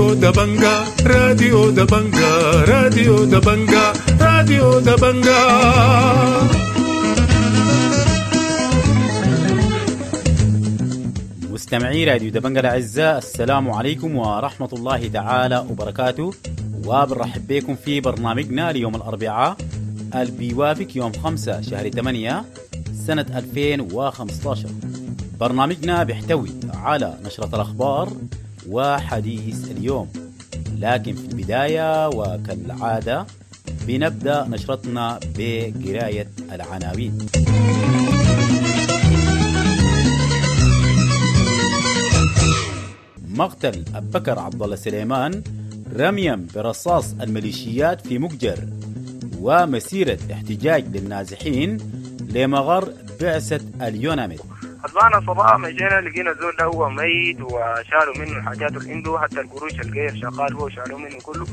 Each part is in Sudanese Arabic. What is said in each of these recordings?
راديو دبنجا، راديو دبنجا، راديو دبنجا، راديو دبنجا. مستمعي راديو دبنجا الأعزاء، السلام عليكم ورحمة الله تعالى وبركاته، وبنرحب بكم في برنامجنا ليوم الأربعاء اللي بيوافق يوم 5 شهر 8 سنة 2015. برنامجنا بيحتوي على نشرة الأخبار وحديث اليوم، لكن في البداية وكالعادة بنبدأ نشرتنا بقراية العناوين. مقتل أبو بكر عبد الله سليمان رميا برصاص الميليشيات في مكجر، ومسيرة احتجاج للنازحين لمغر بعثة اليوناميد. أصبحنا صباح مشينا لقينا الزول ده هو ميت، وشالوا منه الحاجات اللي عنده، حتى القروش الغير شغال هو شالوا منه كله.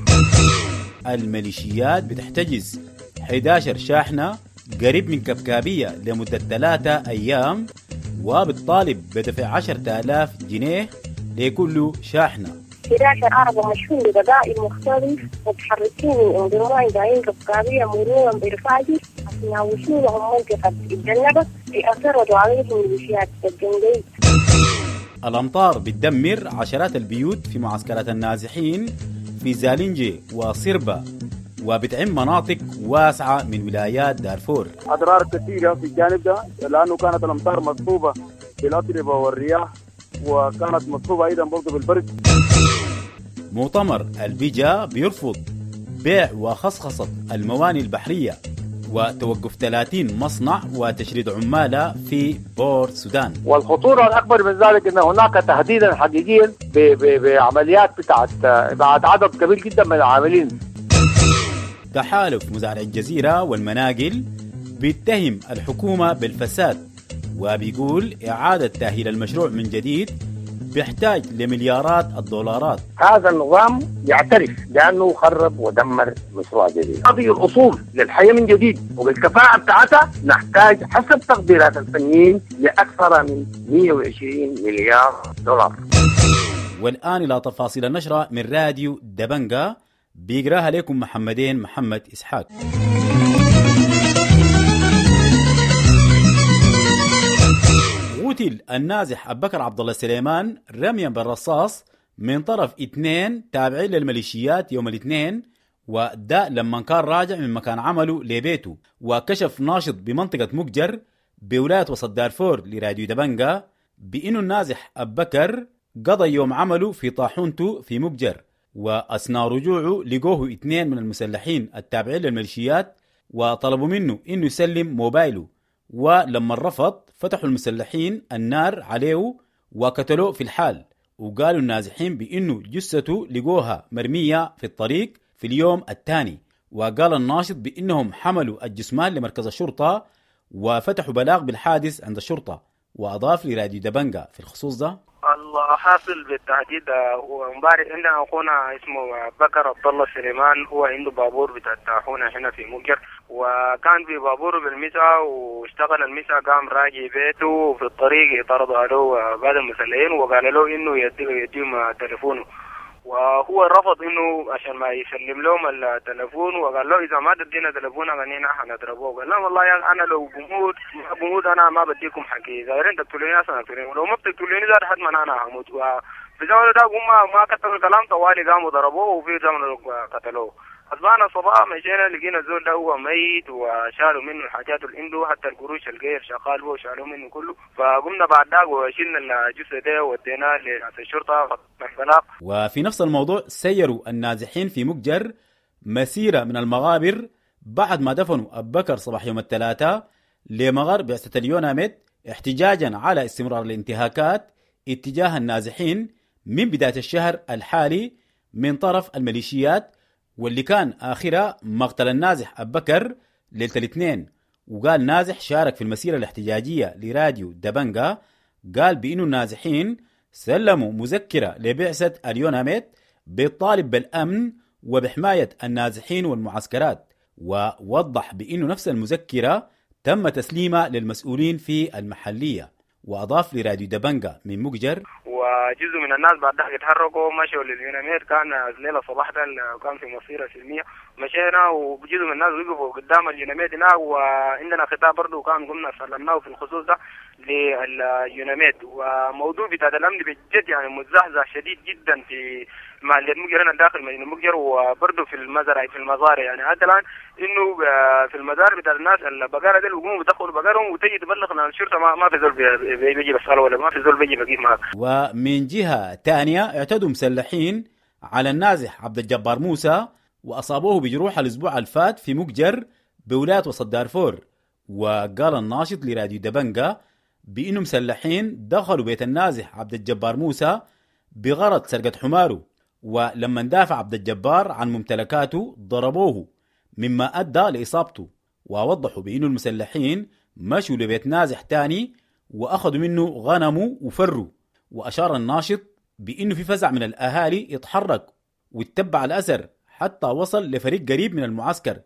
الميليشيات بتحتجز 11 شاحنة قريب من كبكابية لمدة 3 أيام، وبتطالب بدفع 10,000 جنيه لكل شاحنة. 11 عربة مشحون ببدائل مختلف متحركين من أم جايين كبكابية مرورا بالفاجر، أثناء وصولهم منطقة الجنبة اعترضوا عليهم ميليشيات الجنجويد. الأمطار بتدمر عشرات البيوت في معسكرات النازحين في زالنجي وصربة، وبتعم مناطق واسعة من ولايات دارفور. أضرار كثيرة في الجانب ده، لأنه كانت الأمطار مصحوبة بالأتربة والرياح، وكانت مصحوبة أيضا برضه بالبرد. مؤتمر البيجا بيرفض بيع وخصخصة المواني البحرية وتوقف 30 مصنع وتشريد عمالة في بور السودان. والخطورة الأكبر من ذلك أن هناك تهديدا حقيقيا بعمليات بتاعت بعد عدد كبير جدا من العاملين. تحالف مزارع الجزيرة والمناقل بيتهم الحكومة بالفساد، وبيقول إعادة تأهيل المشروع من جديد بيحتاج لمليارات الدولارات. هذا النظام يعترف بأنه خرب ودمر مشروع جديد. هذه الأصول للحياة من جديد وبالكفاءة بتاعتها نحتاج حسب تقديرات الفنيين لأكثر من 120 مليار دولار. والآن إلى تفاصيل النشرة من راديو دبنجا، بيقراها لكم محمدين محمد إسحاق. قتل النازح أبو بكر عبد الله سليمان رميا بالرصاص من طرف 2 تابعين للميليشيات يوم الاثنين، وده لما كان راجع من مكان عمله لبيته. وكشف ناشط بمنطقة مكجر بولاية وسط دارفور لراديو دبنجا بأنه النازح أبو بكر قضى يوم عمله في طاحونته في مكجر، وأثناء رجوعه لقوه 2 من المسلحين التابعين للميليشيات وطلبوا منه إنه يسلم موبايله، ولما رفض فتحوا المسلحين النار عليه وقتلوه في الحال. وقالوا النازحين بأنه جثته لقوها مرمية في الطريق في اليوم الثاني. وقال الناشط بأنهم حملوا الجثمان لمركز الشرطة وفتحوا بلاغ بالحادث عند الشرطة. وأضاف لراديو دبنجا في الخصوص ده: الحاصل بالتحديد وامبارح عندنا اخونا اسمه بكر عبد الله سليمان، هو عنده بابور بتاع الطاحونه هنا في مكجر، وكان في بابوره بالمساء واشتغل المساء، قام راجع بيته وفي الطريق طردوا عليه بعض المسلحين وقال له انه يديهم تليفونه، وهو رفض انه عشان ما يسلم لهم التليفون، وقال له اذا ما تدينا تليفون انا حنضربوه. قال لهم والله يا انا لو بموت ما بموت انا ما بديكم حقي، اذا دايرين تقتلوني اصلا اقتلوني، ولو ما بتقتلوني زاد حد ما انا هموت. وفي زمن ده هم ما كتبوا الكلام طوالي قاموا ضربوه، وفي زمن قتلوه. أصبحنا صباح مشينا لقينا الزول ده هو ميت، وشالوا منه الحاجات اللي عنده، حتى القروش الغير شغال هو شالوا منه كله. فقمنا بعد ذاك وشلنا الجثة ده وديناه لرئاسة الشرطة. وفي نفس الموضوع سيروا النازحين في مكجر مسيرة من المغابر بعد ما دفنوا أبو بكر صباح يوم الثلاثاء لمغر بعثة اليوناميد احتجاجا على استمرار الانتهاكات اتجاه النازحين من بداية الشهر الحالي من طرف الميليشيات، واللي كان آخرها مقتل النازح أبو بكر ليلة الاثنين. وقال نازح شارك في المسيرة الاحتجاجية لراديو دبنجا، قال بأنه النازحين سلموا مذكرة لبعثة اليوناميد بالطالب بالأمن وبحماية النازحين والمعسكرات، ووضح بأنه نفس المذكرة تم تسليمها للمسؤولين في المحلية. وأضاف لراديو دبنجا من مكجر: و وجزء من الناس بعد ذلك اتحركوا مشوا لليوناميد. كان الليلة صباح ده كان في مصيره سلمية، مشينا وجزء من الناس وقفوا قدام اليوناميد هناك، وعندنا خطاب برضه كان قمنا سلمناه في الخصوص ده لليوناميد. وموضوع بتاع الامن بجد يعني متزعزع شديد جدا في محلية مجر هنا داخل مدينة مجر، وبرضه في المزارع في المزارع. يعني حتى الان انه في المزارع بتاع الناس البقرة دي بيقوموا بيدخلوا بقرهم وتيجي تبلغ الشرطة، ما في زول بيجي بيسأله ولا ما في زول بيجي بيقيف معك. ومن جهة ثانية اعتدوا مسلحين على النازح عبد الجبار موسى واصابوه بجروح الاسبوع الفات في مقجر بولاية وسط دارفور. وقال الناشط لراديو دبنجا بانه مسلحين دخلوا بيت النازح عبد الجبار موسى بغرض سرقه حماره، ولما دافع عبد الجبار عن ممتلكاته ضربوه مما ادى لاصابته. ووضحوا بانه المسلحين مشوا لبيت نازح تاني واخذوا منه غنمه وفروا. واشار الناشط بانه في فزع من الاهالي اتحرك واتبع الاثر حتى وصل لفريق قريب من المعسكر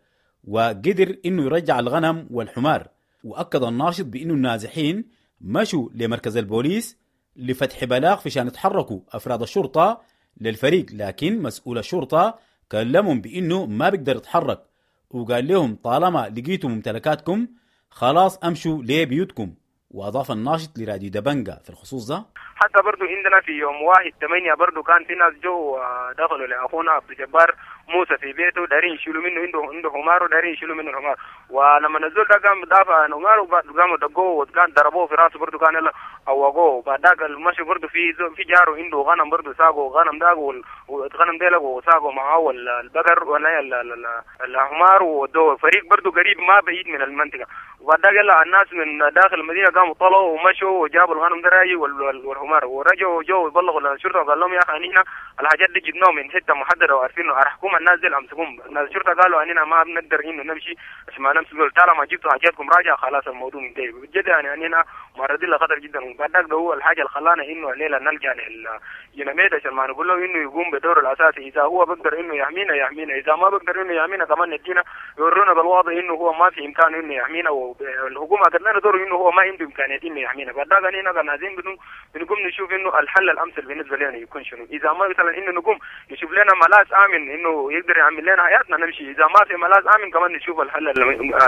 وقدر انه يرجع الغنم والحمار. واكد الناشط بانه النازحين مشوا لمركز البوليس لفتح بلاغ في شان يتحركوا افراد الشرطة للفريق، لكن مسؤول الشرطة كلمهم بانه ما بيقدر يتحرك وقال لهم طالما لقيتوا ممتلكاتكم خلاص امشوا لبيوتكم. واضاف الناشط لراديو دبنجا في الخصوص ده: حتى برضو عندنا في يوم 1/8 برضو كان في ناس جو دخلوا لاخونا عبد الجبار موسى في بيته، دارين يشيلوا منه، عنده حمار ودارين يشيلوا منه الحمار. ولما نزل ده قام دافع عن حماره وقاموا دقوه وكان ضربوه في راسه برضو، كان يلا عوقوه. بعد ذاك مشوا برضو في جاره عنده غنم برضو، ساقوا غنم داق والغنم ديلك وساقوا معاه البقر ولا الحمار ودوه فريق برضو قريب ما بعيد من المنطقة. وبعد ذاك يلا الناس من داخل المدينة قاموا طلعوا ومشوا وجابوا الغنم ده راجي والحمار ورجعوا جو يبلغوا للشرطة وقال لهم يا اخي نحن الحاجات دي جبناهم من حتة محددة وعارفين انه ارحكم الناس دي امسكوهم. الناس الشرطة قالوا اننا ما بنقدر انه نمشي عشان ما نمسك، طالما جبتوا حاجاتكم راجع خلاص الموضوع منتهي. بجد يعني اننا معرضين لخطر جدا. وبعد ذاك ده هو الحاجة اللي خلانا انه الليلة نلجا لليوناميد عشان ما نقول له انه يقوم بدوره الاساسي. اذا هو بقدر انه يحمينا يحمينا، اذا ما بقدر انه يحمينا كمان ندينا يورونا بالواضح انه هو ما في امكانه انه يحمينا، والحكومة قد لنا دوره انه هو ما عنده امكانية انه يحمينا. بعد ذاك اننا كان عايزين بنقوم نشوف انه الحل الامثل بالنسبة لنا يكون شنو. اذا ما مثلا انه نقوم نشوف لنا ملاذ امن انه يقدر يعمل لنا حياتنا نمشي، اذا ما في ملاذ امن كمان نشوف الحل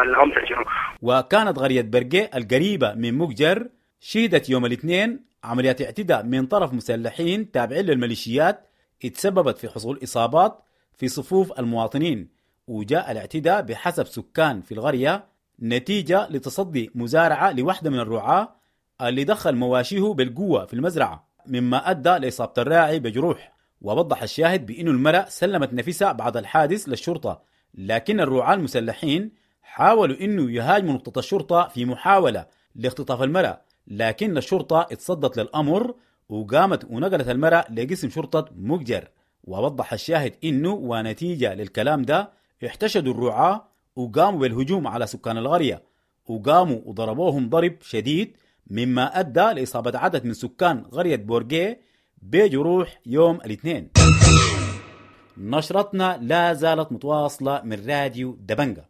الامثل شنو. وكانت قرية برقي القريبة من مقجر شهدت يوم الاثنين عمليات اعتداء من طرف مسلحين تابعين للميليشيات اتسببت في حصول اصابات في صفوف المواطنين. وجاء الاعتداء بحسب سكان في القرية نتيجة لتصدي مزارعه لوحده من الرعاة اللي دخل مواشيه بالقوة في المزرعة، مما أدى لإصابة الراعي بجروح. ووضح الشاهد بأن المرأة سلمت نفسها بعد الحادث للشرطة، لكن الرعاة المسلحين حاولوا أنه يهاجموا نقطة الشرطة في محاولة لاختطاف المرأة، لكن الشرطة اتصدت للأمر وقامت ونقلت المرأة لقسم شرطة مقجر. ووضح الشاهد أنه ونتيجة للكلام ده احتشدوا الرعاة وقاموا بالهجوم على سكان القرية، وقاموا وضربوهم ضرب شديد مما أدى لإصابة عدد من سكان قرية بورجي بجروح يوم الاثنين. نشرتنا لا زالت متواصلة من راديو دبنجا.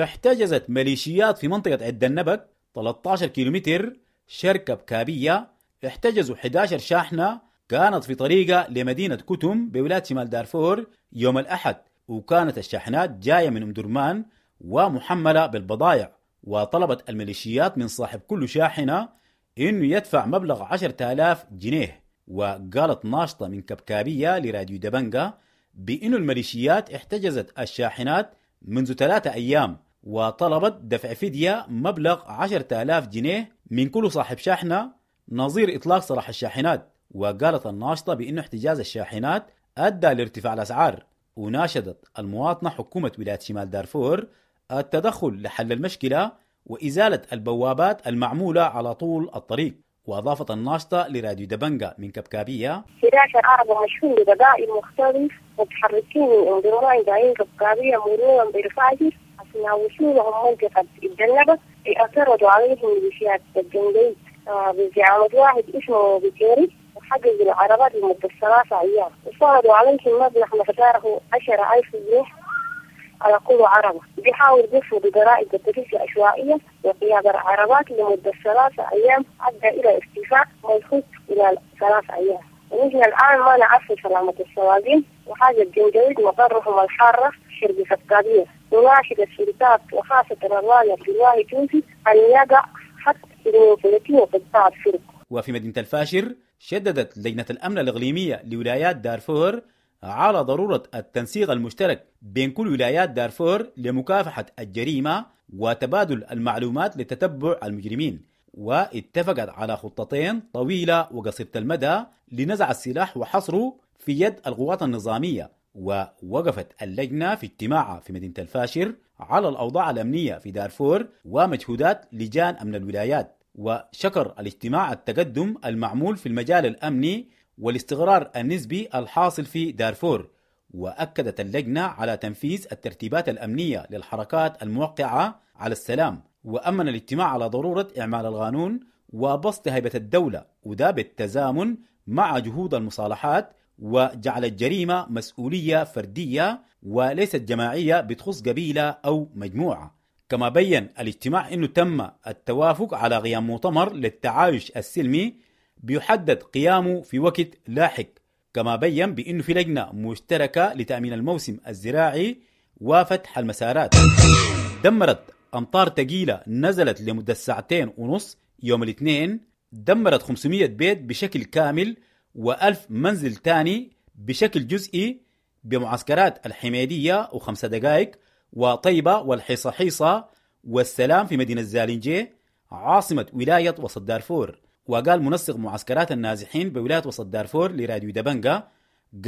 احتجزت ميليشيات في منطقة عد النبك 13 كيلومتر شركة بكابية، احتجزوا 11 شاحنة كانت في طريقة لمدينة كتم بولاية شمال دارفور يوم الأحد، وكانت الشاحنات جاية من أم درمان ومحملة بالبضائع. وطلبت الميليشيات من صاحب كل شاحنة إنه يدفع مبلغ 10,000 جنيه. وقالت ناشطة من كبكابية لراديو دبنجا بإنه الميليشيات احتجزت الشاحنات منذ 3 أيام وطلبت دفع فدية مبلغ 10,000 جنيه من كل صاحب شاحنة نظير إطلاق سراح الشاحنات. وقالت الناشطة بإنه احتجاز الشاحنات أدى لارتفاع الأسعار. وناشدت المواطنة حكومة ولاية شمال دارفور التدخل لحل المشكلة وإزالة البوابات المعمولة على طول الطريق. وأضافت الناشطة لراديو دبنجا من كبكابية: 11 عربة مشحون ببضائع مختلف متحركين من أم درمان جايين كبكابية مرورا بالفاجر، أثناء وصولهم منطقة الجنبة اعترضوا عليهم ميليشيات الجنجويد بزعامة واحد اسمه بكيري، وحجزوا العربات لمدة 3 أيام وفرضوا عليهم مبلغ مقداره 10,000 جنيه على كل عربة. بيحاول بيفرض ضرائب التفتيش العشوائية وقيادة العربات لمدة 3 أيام أدى إلى ارتفاع ملحوظ إلى 3 أيام. ونحن الآن ما نعرف سلامة السواقين وحاجة الجنجويد مقرهم الحارة شرق سكابية. نناشد السلطات وخاصة الراية الواهي تونسي أن يقع حتى 32 قطاع الفرق. وفي مدينة الفاشر شددت لجنة الأمن الإقليمية لولايات دارفور على ضرورة التنسيق المشترك بين كل ولايات دارفور لمكافحة الجريمة وتبادل المعلومات لتتبع المجرمين، واتفقت على خطتين طويلة وقصيرة المدى لنزع السلاح وحصره في يد القوات النظامية. ووقفت اللجنة في اجتماعها في مدينة الفاشر على الأوضاع الأمنية في دارفور ومجهودات لجان أمن الولايات، وشكر الاجتماع التقدم المعمول في المجال الأمني والاستقرار النسبي الحاصل في دارفور. وأكدت اللجنة على تنفيذ الترتيبات الأمنية للحركات الموقعة على السلام، وأمن الاجتماع على ضرورة إعمال القانون وبسط هيبة الدولة، وده بالتزامن مع جهود المصالحات وجعل الجريمة مسؤولية فردية وليست جماعية بتخص قبيلة أو مجموعة. كما بين الاجتماع أنه تم التوافق على قيام مؤتمر للتعايش السلمي بيحدد قيامه في وقت لاحق. كما بين بأنه في لجنة مشتركة لتأمين الموسم الزراعي وفتح المسارات. دمرت أمطار ثقيلة نزلت لمدة 2.5 ساعات يوم الاثنين، دمرت 500 بيت بشكل كامل و1000 منزل تاني بشكل جزئي بمعسكرات الحميدية و5 دقائق وطيبة والحصاحيصة والسلام في مدينة زالنجي عاصمة ولاية وسط دارفور. وقال منسق معسكرات النازحين بولاية وسط دارفور لراديو دبنجا،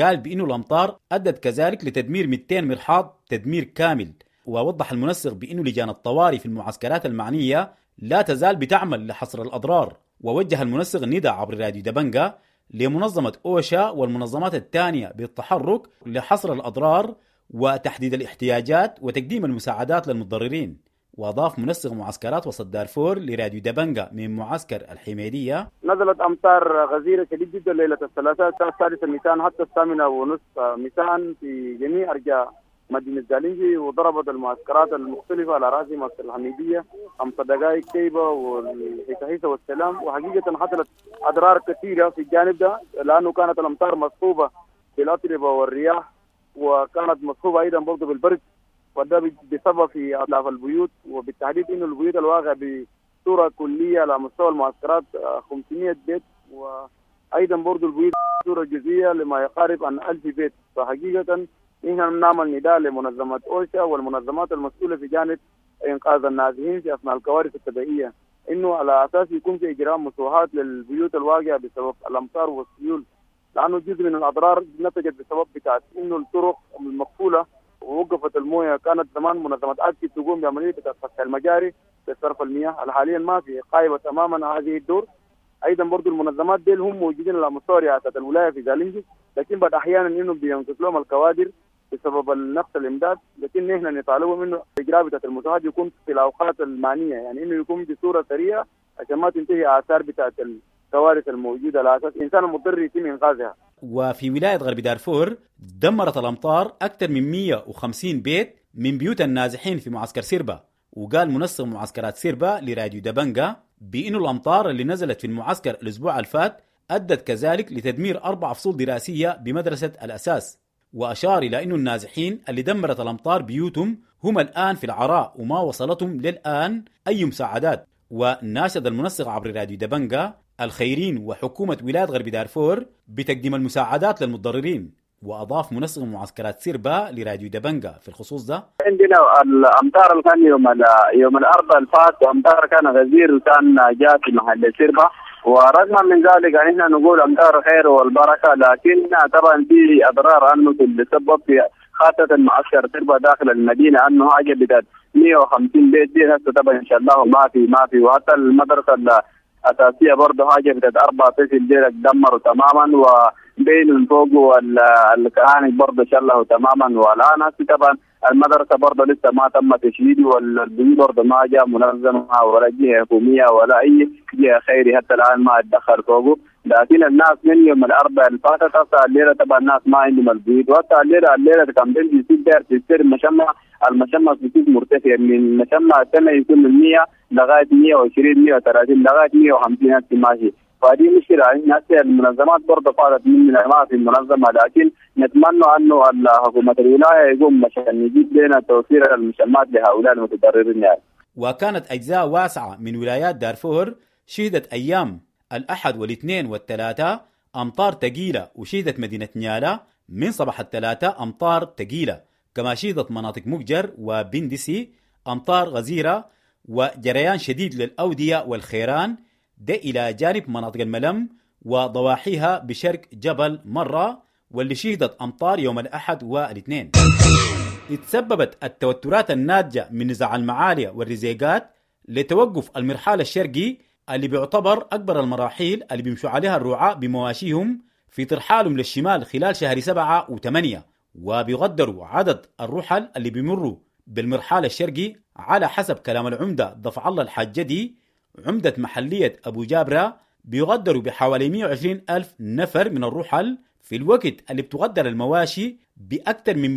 قال بأنه الأمطار أدت كذلك لتدمير 200 مرحاض تدمير كامل. ووضح المنسق بأنه لجان الطوارئ في المعسكرات المعنية لا تزال بتعمل لحصر الأضرار. ووجه المنسق النداء عبر راديو دبنجا لمنظمة أوشا والمنظمات الثانية بالتحرك لحصر الأضرار وتحديد الاحتياجات وتقديم المساعدات للمتضررين. وأضاف منسق معسكرات وسط دارفور لراديو دبنجا من معسكر الحميدية: نزلت أمطار غزيرة شديد جدا ليلة الثلاثاء 6 نيسان حتى 8:30 نيسان في جميع أرجاء مدينة زالنجي، وضربت المعسكرات المختلفة على رأس معسكر الحميدية 5 دقائق كيبة والحيسة والسلام. وحقيقة حصلت أضرار كثيرة في الجانب ده لأنه كانت الأمطار مصحوبة بالأتربة والرياح، وكانت مصحوبة أيضا برضه بالبرد، وده بسبب في أضعاف البيوت، وبالتحديد إنه البيوت الواقع بصورة كلية على مستوى المعسكرات 500 بيت، وأيضا برضه البيوت بصورة جزئية لما يقارب عن 1000 بيت. فحقيقة نحن نعمل نداء لمنظمة أوشا والمنظمات المسؤولة في جانب إنقاذ النازحين في أثناء الكوارث الطبيعية، إنه على أساس يكون في إجراء مسوحات للبيوت الواقعة بسبب الأمطار والسيول، لأنه جزء من الأضرار نتجت بسبب بتاعت إنه الطرق المقفولة ووقفت المويه. كانت زمان منظمة أكتي تقوم بعملية فتح المجاري لصرف المياه، حاليا ما في، قايمة تماما هذه الدور. ايضا برضو المنظمات دي هم موجودين على مستوى رئاسة الولاية في زالنجي، لكن بعد احيانا انه بينقص لهم الكوادر بسبب النقص الامداد، لكن نحن نطالبهم انه اجراء بتاعت المساعدة يكون في الاوقات المعنية، يعني انه يكون بصورة سريعة عشان ما تنتهي اثار بتاعت الكوارث الموجودة على اساس الانسان المضطر يتم انقاذها. وفي ولاية غرب دارفور دمرت الأمطار أكثر من 150 بيت من بيوت النازحين في معسكر سيربا. وقال منسق معسكرات سيربا لراديو دبنجا بأنه الأمطار اللي نزلت في المعسكر الأسبوع الفات أدت كذلك لتدمير 4 فصول دراسية بمدرسة الأساس. وأشار إلى أنه النازحين اللي دمرت الأمطار بيوتهم هم الآن في العراء وما وصلتهم للآن أي مساعدات. وناشد المنسق عبر راديو دبنجا الخيرين وحكومة ولاية غرب دارفور بتقديم المساعدات للمتضررين. وأضاف منسق معسكرات سيربا لراديو دبنجا في الخصوص ده: عندنا الأمطار اللي كان يوم الأربعاء الفات، وأمطار كان غزير وكان جاء في محل سيربا، ورغم من ذلك نحن نقول أمطار خير والبركة، لكن طبعا في أضرار أنه تسبب في خاصة معسكر سيربا داخل المدينة، أنه حاجة بدأت 150 بيت دي هسه طبعا إن شاء الله ما في. وحتى المدرسة الأساسية برضه حاجة بدأت 4 فصل ديرك دمروا تماما، وبين فوق والكهانك برضه شله تماما. والآن هسه طبعا المدرسة برضه لسه ما تم تشييده، والبيوت برضه ما جاء منظمة ولا جهة حكومية ولا أي جهة خيري حتى الآن ما اتدخل فوقه. لكن الناس من يوم الأربعاء اللي فاتت حتى الليلة طبعا الناس ما عندهم البيوت، وحتى الليلة كان بيجي يصير داير في السير مشمع المشمة بتكون مرتفع من مشمة السنة يكون من 100 لغاية 120 130 لغاية 150 ألف ماشي. فهذه مشكلة هسه المنظمات برضه قالت مننا ما في منظمة، لكن نتمنى أنه حكومة الولاية يقوم عشان يجيب لنا توفير المشمات لهؤلاء المتضررين يعني. وكانت أجزاء واسعة من ولايات دارفور شهدت أيام الأحد والاثنين والثلاثاء أمطار ثقيلة، وشهدت مدينة نيالا من صباح الثلاثاء أمطار ثقيلة، كما شهدت مناطق مقجر وبندسي أمطار غزيرة وجريان شديد للأودية والخيران، ده إلى جانب مناطق الملم وضواحيها بشرق جبل مرة واللي شهدت أمطار يوم الأحد والاثنين. اتسببت التوترات الناتجة من نزاع المعالية والرزيقات لتوقف المرحال الشرقي اللي بيعتبر أكبر المراحيل اللي بيمشوا عليها الرعاة بمواشيهم في ترحالهم للشمال خلال شهر 7 و8، وبيقدروا عدد الرحل اللي بيمروا بالمرحال الشرقي على حسب كلام العمدة دفع الله الحجدي عمدة محلية أبو جابرة بيقدروا بحوالي 120 ألف نفر من الرحل في الوقت اللي بتقدر المواشي بأكثر من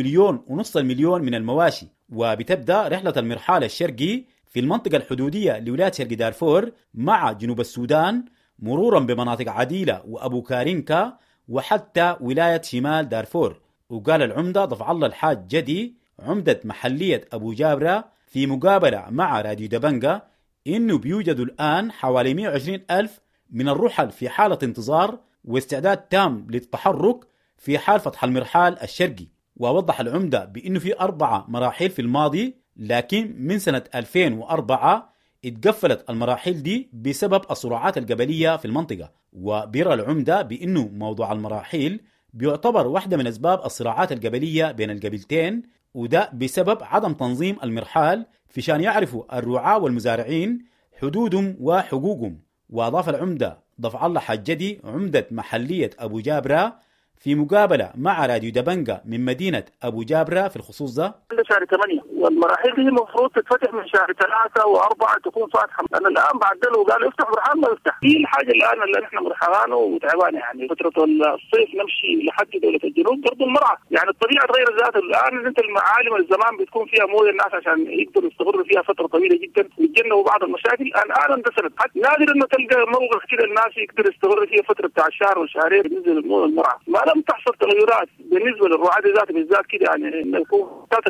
1.5 مليون من المواشي. وبتبدأ رحلة المرحال الشرقي في المنطقة الحدودية لولاية شرق دارفور مع جنوب السودان مرورا بمناطق عديلة وأبو كارينكا وحتى ولاية شمال دارفور. وقال العمدة دفع الله الحاج جدي عمدة محلية أبو جابرة في مقابلة مع راديو دبنجة إنه بيوجد الآن حوالي 120 ألف من الرحل في حالة انتظار واستعداد تام للتحرك في حال فتح المرحال الشرقي. ووضح العمدة بأنه في 4 مراحل في الماضي، لكن من سنة 2004 اتقفلت المراحل دي بسبب الصراعات القبلية في المنطقة. وبيرى العمدة بأنه موضوع المراحيل بيعتبر واحدة من أسباب الصراعات القبلية بين القبيلتين، وده بسبب عدم تنظيم المرحال في شان يعرفوا الرعاة والمزارعين حدودهم وحقوقهم. وأضاف العمدة دفع الله حجدي عمدة محلية أبو جابرة في مقابلة مع راديو دبنجة من مدينة أبو جابرة في الخصوص ده: شهر 8 والمراحل دي المفروض تتفتح من شهر 3 و4 تكون فاتحة. أنا الآن بعدلوا وقالوا افتح مرحال ما يفتح. دي الحاجة الآن اللي نحن مرحلانه وتعبانة، يعني فترة الصيف نمشي لحد دولة الجنوب برضو المرعى، يعني الطبيعة تغير ذاتها الآن. أنت المعالم الزمان بتكون فيها موية الناس عشان يقدروا يستمروا فيها فترة طويلة جدا ويتجنبوا بعض المشاكل. الآن اندثرت، حتى نادر إنه تلقى موقع كده الناس يقدر يستمر فيها فترة بتاع شهر وشهرين بالنسبة للموية المرعى. ما لم تحصل تغيرات بالنسبة للرعاة ذات بالذات كده، يعني إنه يكون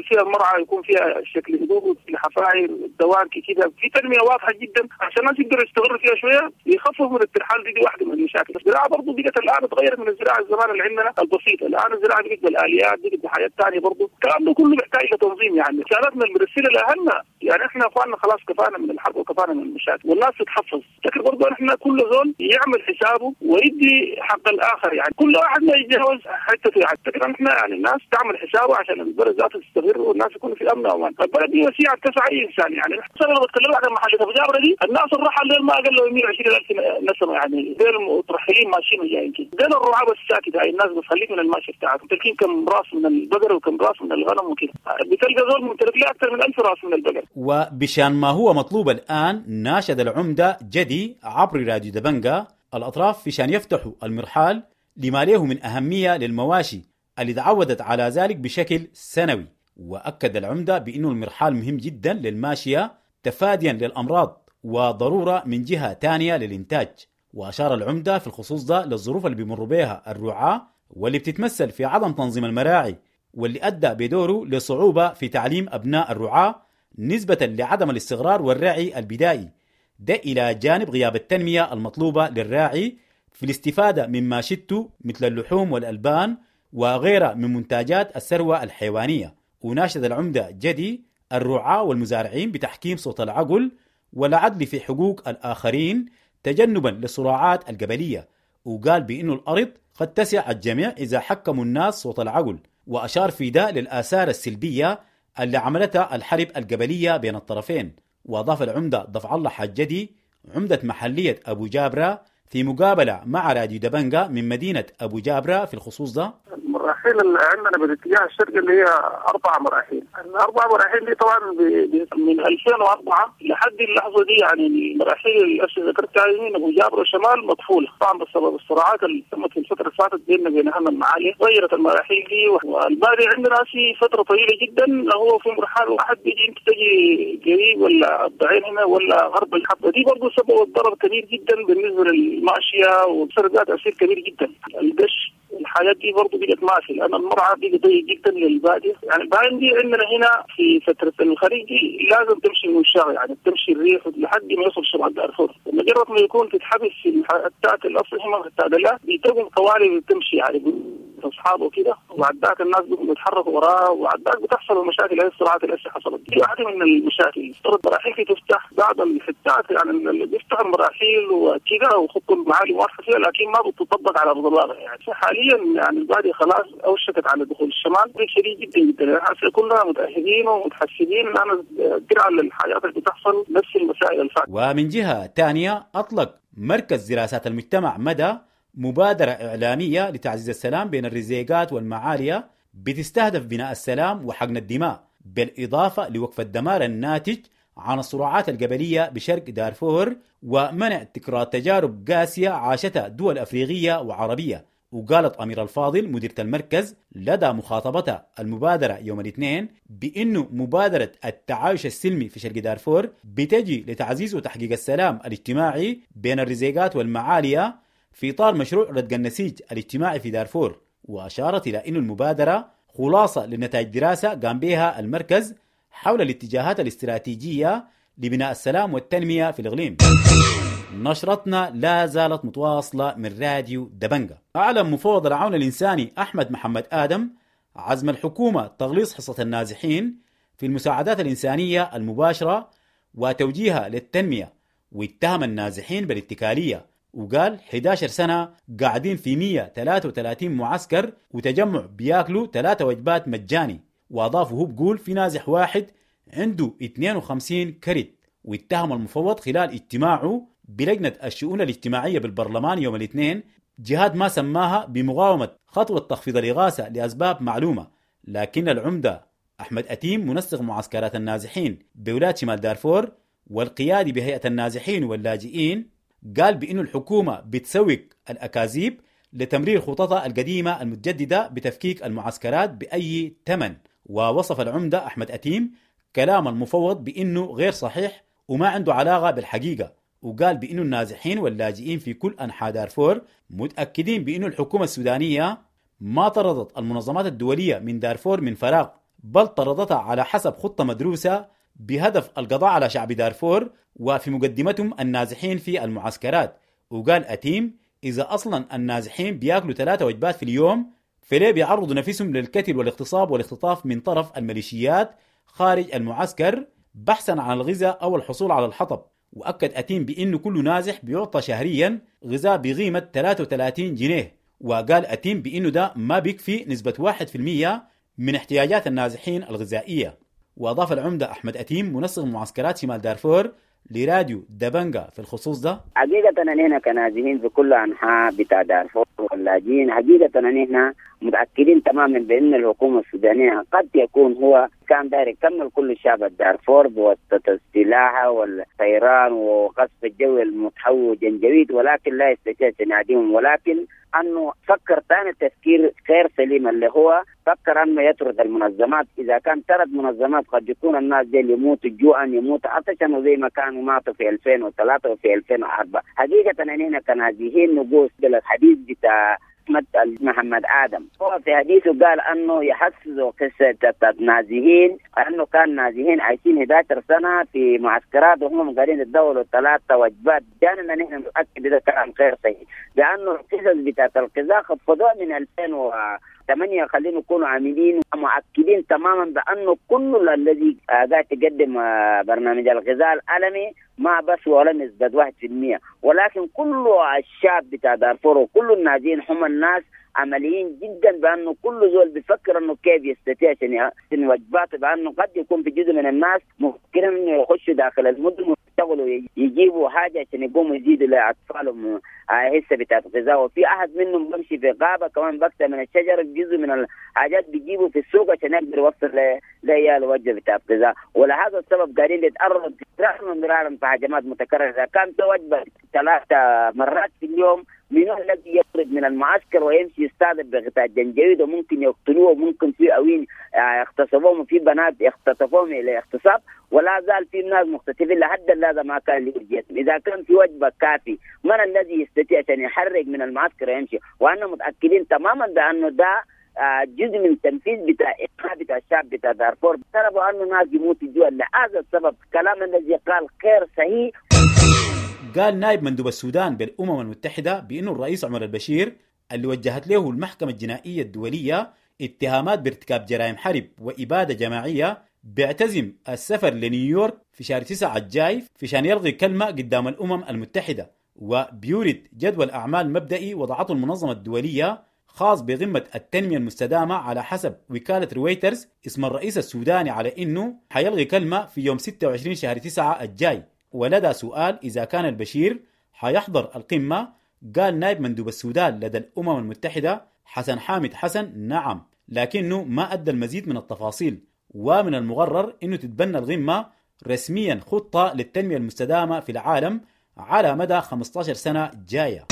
فيها المرعى يكون فيها شكل هدوء الحفاير الدواركي كده، في تنمية واضحة جدا عشان الناس يقدروا يستغلوا فيها شوية يخففوا من الترحال. دي واحدة من المشاكل. الزراعة برضه بقت الآن تغيرت من الزراعة الزمان اللي عندنا البسيطة، الآن الزراعة بقت بالآليات، بقت بحاجات ثانية برضه. الكلام ده كله بيحتاج لتنظيم، يعني رسالتنا المرسلة لأهلنا، يعني احنا اخواننا خلاص كفانا من الحرب وكفانا من المشاكل والناس تتحفظ. لكن برضه احنا كل زول يعمل حسابه ويدي حق الآخر، يعني كل واحد ما يتجاوز حتته. يعني لكن احنا يعني الناس تعمل حسابه عشان البلد ذاته تستقر والناس يكونوا في امن وامان. البلد دي وسيعه تسع اي انسان، يعني انا لو بتكلم عن محل ابو جابره دي الناس الرحل ديل ما اقل من 120,000 نسمه، يعني ديل مترحلين ماشيين وجايين كده، ديل الرعاة بس ساكت. هاي الناس بتخليك من الماشي بتاعتهم تلقين كم راس من البقر وكم راس من الغنم وكده، بتلقى زول ممتلك له اكثر من 1000 راس من البقر. وبشان ما هو مطلوب الان ناشد العمدة جدي عبر راديو دبنجة الاطراف في شان يفتحوا المرحال لما له من أهمية للمواشي اللي تعودت على ذلك بشكل سنوي. وأكد العمدة بأنه المرحال مهم جدا للماشية تفاديا للأمراض وضرورة من جهة تانية للإنتاج. وأشار العمدة في الخصوص ده للظروف اللي بيمر بها الرعاة واللي بتتمثل في عدم تنظيم المراعي واللي أدى بدوره لصعوبة في تعليم أبناء الرعاة نسبة لعدم الاستقرار والرعي البدائي، ده إلى جانب غياب التنمية المطلوبة للراعي في الاستفادة مما شتوا مثل اللحوم والألبان وغيرها من منتجات الثروة الحيوانية. وناشد العمدة جدي الرعاة والمزارعين بتحكيم صوت العقل والعدل في حقوق الآخرين تجنبا للصراعات القبلية، وقال بأنه الأرض قد تسع الجميع إذا حكموا الناس صوت العقل. وأشار في ده للآثار السلبية اللي عملتها الحرب القبلية بين الطرفين. وأضاف العمدة دفع الله حجدي عمدة محلية أبو جابرة في مقابلة مع راديو دبنجة من مدينة أبو جابرة في الخصوص ده: المراحل اللي عندنا بالاتجاه الشرقي اللي هي 4 مراحل، الأربع مراحل دي طبعا من 2004 لحد اللحظة دي، يعني المراحل اللي ذكرتها بتاع يمين ابو جابر وشمال مقفولة طبعا بسبب الصراعات اللي تمت في الفترة اللي فاتت بيننا وبين اهلنا المعاليه، غيرت المراحيل دي. والبادية عندنا في فترة طويلة جدا هو في مرحلة واحد بيجي انت تجي قريب ولا الضعين هنا ولا غرب الحبة دي، برضه سبب ضرر كبير جدا بالنسبة للماشيه وصار لها تاثير كبير جدا. القش الحاجات دي برضه بقت ما في، لان المرعى بقى ضيق جدا للباديه. يعني البهايم دي عندنا هنا في فترة الخريف دي لازم تمشي من الشارع، يعني تمشي الريح لحد ما يوصل شمال دارفور. مجرد ما يكون تتحبس في الحتات الاصل هم في بتقوم قوالب بتمشي يعني اصحابه كده، وبعد ذاك الناس بيتحركوا وراه، وبعد ذاك بتحصل المشاكل. هي الصراعات اللي حصلت دي واحدة من المشاكل. افترض مراحيل تفتح بعض الحتات، يعني اللي بيفتح المراحيل وكده وخطوا المعالم واضحة فيها، لكن ما بتطبق على ارض الواقع. يعني حاليا يعني البادية خلاص اوشكت على دخول الشمال شديد جدا جدا. يعني كلنا متاهبين ومتحسبين لان الدرع للحاجات اللي بتحصل نفس المسائل الفاتت. ومن جهة ثانية اطلق مركز دراسات المجتمع مدى مبادرة إعلامية لتعزيز السلام بين الرزيقات والمعالية بتستهدف بناء السلام وحقن الدماء، بالإضافة لوقف الدمار الناتج عن الصراعات القبلية بشرق دارفور ومنع تكرار تجارب قاسية عاشتها دول أفريقية وعربية. وقالت أمير الفاضل مديرة المركز لدى مخاطبتها المبادرة يوم الاثنين بأنه مبادرة التعايش السلمي في شرق دارفور بتجي لتعزيز وتحقيق السلام الاجتماعي بين الرزيقات والمعالية في إطار مشروع ردق النسيج الاجتماعي في دارفور. وأشارت إلى أن المبادرة خلاصة لنتائج دراسة قام بها المركز حول الاتجاهات الاستراتيجية لبناء السلام والتنمية في الإقليم. نشرتنا لا زالت متواصلة من راديو دبنجة. أعلن مفوض العون الإنساني أحمد محمد آدم عزم الحكومة تغليظ حصة النازحين في المساعدات الإنسانية المباشرة وتوجيهها للتنمية، واتهم النازحين بالاتكالية، وقال 11 سنة قاعدين في 133 معسكر وتجمع بياكلوا 3 وجبات مجاني. وأضاف وهو بقول في نازح واحد عنده 52 كرت. واتهم المفوض خلال اجتماعه بلجنة الشؤون الاجتماعية بالبرلمان يوم الاثنين جهات ما سماها بمقاومة خطوة تخفيض الإغاثة لأسباب معلومة. لكن العمدة أحمد أتيم منسق معسكرات النازحين بولاية شمال دارفور والقيادي بهيئة النازحين واللاجئين قال بأن الحكومة بتسوق الأكاذيب لتمرير خططها القديمة المتجددة بتفكيك المعسكرات بأي ثمن. ووصف العمدة أحمد أتيم كلام المفوض بأنه غير صحيح وما عنده علاقة بالحقيقة، وقال بأنه النازحين واللاجئين في كل أنحاء دارفور متأكدين بأنه الحكومة السودانية ما طردت المنظمات الدولية من دارفور من فراغ، بل طردتها على حسب خطة مدروسة بهدف القضاء على شعب دارفور وفي مقدمتهم النازحين في المعسكرات. وقال أتيم إذا أصلا النازحين بياكلوا 3 وجبات في اليوم فليه بيعرضوا نفسهم للقتل والاغتصاب والاختطاف من طرف الميليشيات خارج المعسكر بحثا عن الغذاء أو الحصول على الحطب. وأكد أتيم بأنه كل نازح بيعطى شهريا غذاء بقيمة 33 جنيه. وقال أتيم بأنه ده ما بيكفي نسبة 1% من احتياجات النازحين الغذائية. وأضاف العمدة أحمد أتيم منسق معسكرات شمال دارفور لراديو دبنجا في الخصوص ده: حقيقة نحن كنازحين في كل أنحاء بتاع دارفور واللاجئين، حقيقة نحن متأكدين تماما بأن الحكومة السودانية قد يكون هو كان داير يكمل كل الشعب الدارفور بواسطة السلاح والطيران وقصف الجو المتحول جنجويد، ولكن لا يستطيع تناديهم. ولكن أنه فكر ثاني تفكير غير سليم، اللي هو فكر أنه يطرد المنظمات. إذا كان طرد منظمات قد يكون الناس دي يموتوا جوعا، يموتوا عطشا، وزي ما كانوا ماتوا في 2003 وفي 2004. حقيقة أننا كنازحين نقول بالحديث بتاع أحمد محمد آدم، هو في حديثه قال أنه يحسس قصة نازحين، أنه كان نازحين عايشين 11 سنة في معسكرات وهم قاعدين يتداولوا 3 وجبات. جانا نحن نتأكد إذا كلام غير صحيح، لأنه القصص بتاعت القزاق خفضوها من 2008. خلينا نكونوا عاملين ومؤكدين تماما بأنه كل الذي قاعد تقدم برنامج الغذاء العالمي ما بس ولا نسبة 1%، ولكن كل الشعب بتاع دارفور وكل النازحين هم الناس عمليين جدا، بأنه كل زول بيفكر أنه كيف يستطيع عشان يحسن وجباته، بأنه قد يكون في جزء من الناس مفكرين أنه يخشوا داخل المدن. يشتغلوا يجيبوا حاجة عشان يقوموا يزيدوا لاطفالهم حصة بتاعت غذاء. وفي احد منهم بمشي في غابه كمان بكتة من الشجر جزء من الحاجات بيجيبوا في السوق عشان يقدر يوصل لعياله وجبة بتاعت غذاء. ولهذا السبب قاعدين يتعرضوا مرارا في هجمات متكررة. اذا كان في وجبة 3 مرات في اليوم، من الذي يخرج من المعسكر ويمشي يستهدف بغطاء الجنجويد وممكن يقتلوه، وممكن في أوين اغتصبوهم، وفي بنات اختطفوهم الى اغتصاب، ولا زال في ناس مختطفين لحد اللحظة ما كان يوجد. اذا كان في وجبة كافي، من الذي يستطيع عشان يحرك من المعسكر ويمشي؟ وانا متاكدين تماما بانه ده جزء من تنفيذ بتاع بتاع الشعب بتاع دارفور. طلبوا انه ناس يموتوا جوا، لهذا السبب كلام الذي قال غير صحيح. قال نائب مندوب السودان بالأمم المتحدة بأنه الرئيس عمر البشير اللي وجهت له المحكمة الجنائية الدولية اتهامات بارتكاب جرائم حرب وإبادة جماعية بيعتزم السفر لنيويورك في شهر 9 الجاي في شان يلغي كلمة قدام الأمم المتحدة، وبيورد جدول أعمال مبدئي وضعته المنظمة الدولية خاص بقمة التنمية المستدامة على حسب وكالة رويترز اسم الرئيس السوداني على إنه حيلغي كلمة في يوم 26 شهر 9 الجاي. ولدى سؤال إذا كان البشير حيحضر القمة، قال نائب مندوب السودان لدى الأمم المتحدة حسن حامد حسن نعم، لكنه ما أدى المزيد من التفاصيل. ومن المقرر أنه تتبنى القمة رسميا خطة للتنمية المستدامة في العالم على مدى 15 سنة جاية.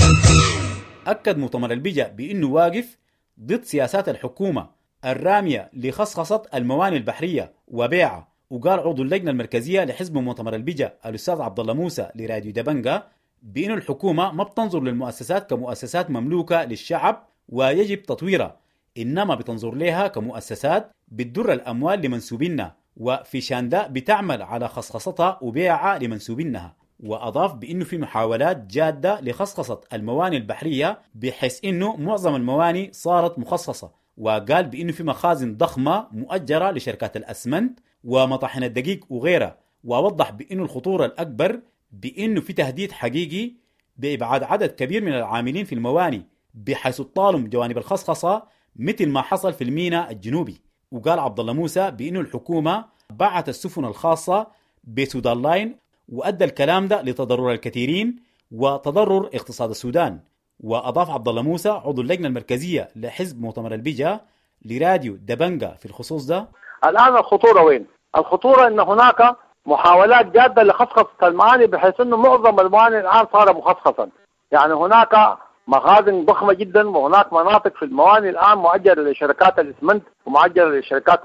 أكد مؤتمر البجا بأنه واقف ضد سياسات الحكومة الرامية لخصخصة الموانئ البحرية وبيعها. وقال عضو اللجنة المركزية لحزب مؤتمر البجا الأستاذ عبد الله موسى لراديو دبنجا بأن الحكومة ما بتنظر للمؤسسات كمؤسسات مملوكة للشعب ويجب تطويرها، إنما بتنظر لها كمؤسسات بتدر الأموال لمنسوبينها، وفي شان ده بتعمل على خصخصتها وبيعها لمنسوبينها. وأضاف بأنه في محاولات جادة لخصخصة الموانئ البحرية بحيث أنه معظم الموانئ صارت مخصصة. وقال بأنه في مخازن ضخمة مؤجرة لشركات الأسمنت ومطاحن الدقيق وغيرها. وأوضح بأنه الخطورة الأكبر بأنه في تهديد حقيقي بإبعاد عدد كبير من العاملين في الموانئ بحيث تطالم جوانب الخصخصة مثل ما حصل في الميناء الجنوبي. وقال عبد الله موسى بأنه الحكومة باعت السفن الخاصة بسودان لاين، وأدى الكلام ده لتضرر الكثيرين وتضرر اقتصاد السودان. وأضاف عبد الله موسى عضو اللجنة المركزية لحزب مؤتمر البجا لراديو دبنجا في الخصوص ده: الآن الخطورة وين؟ الخطورة أن هناك محاولات جادة لخصخصة المعاني، بحيث أنه معظم المعاني الآن صار مخصخصا. يعني هناك مخازن ضخمة جدا، وهناك مناطق في المواني الآن مؤجرة لشركات الإسمنت ومؤجرة لشركات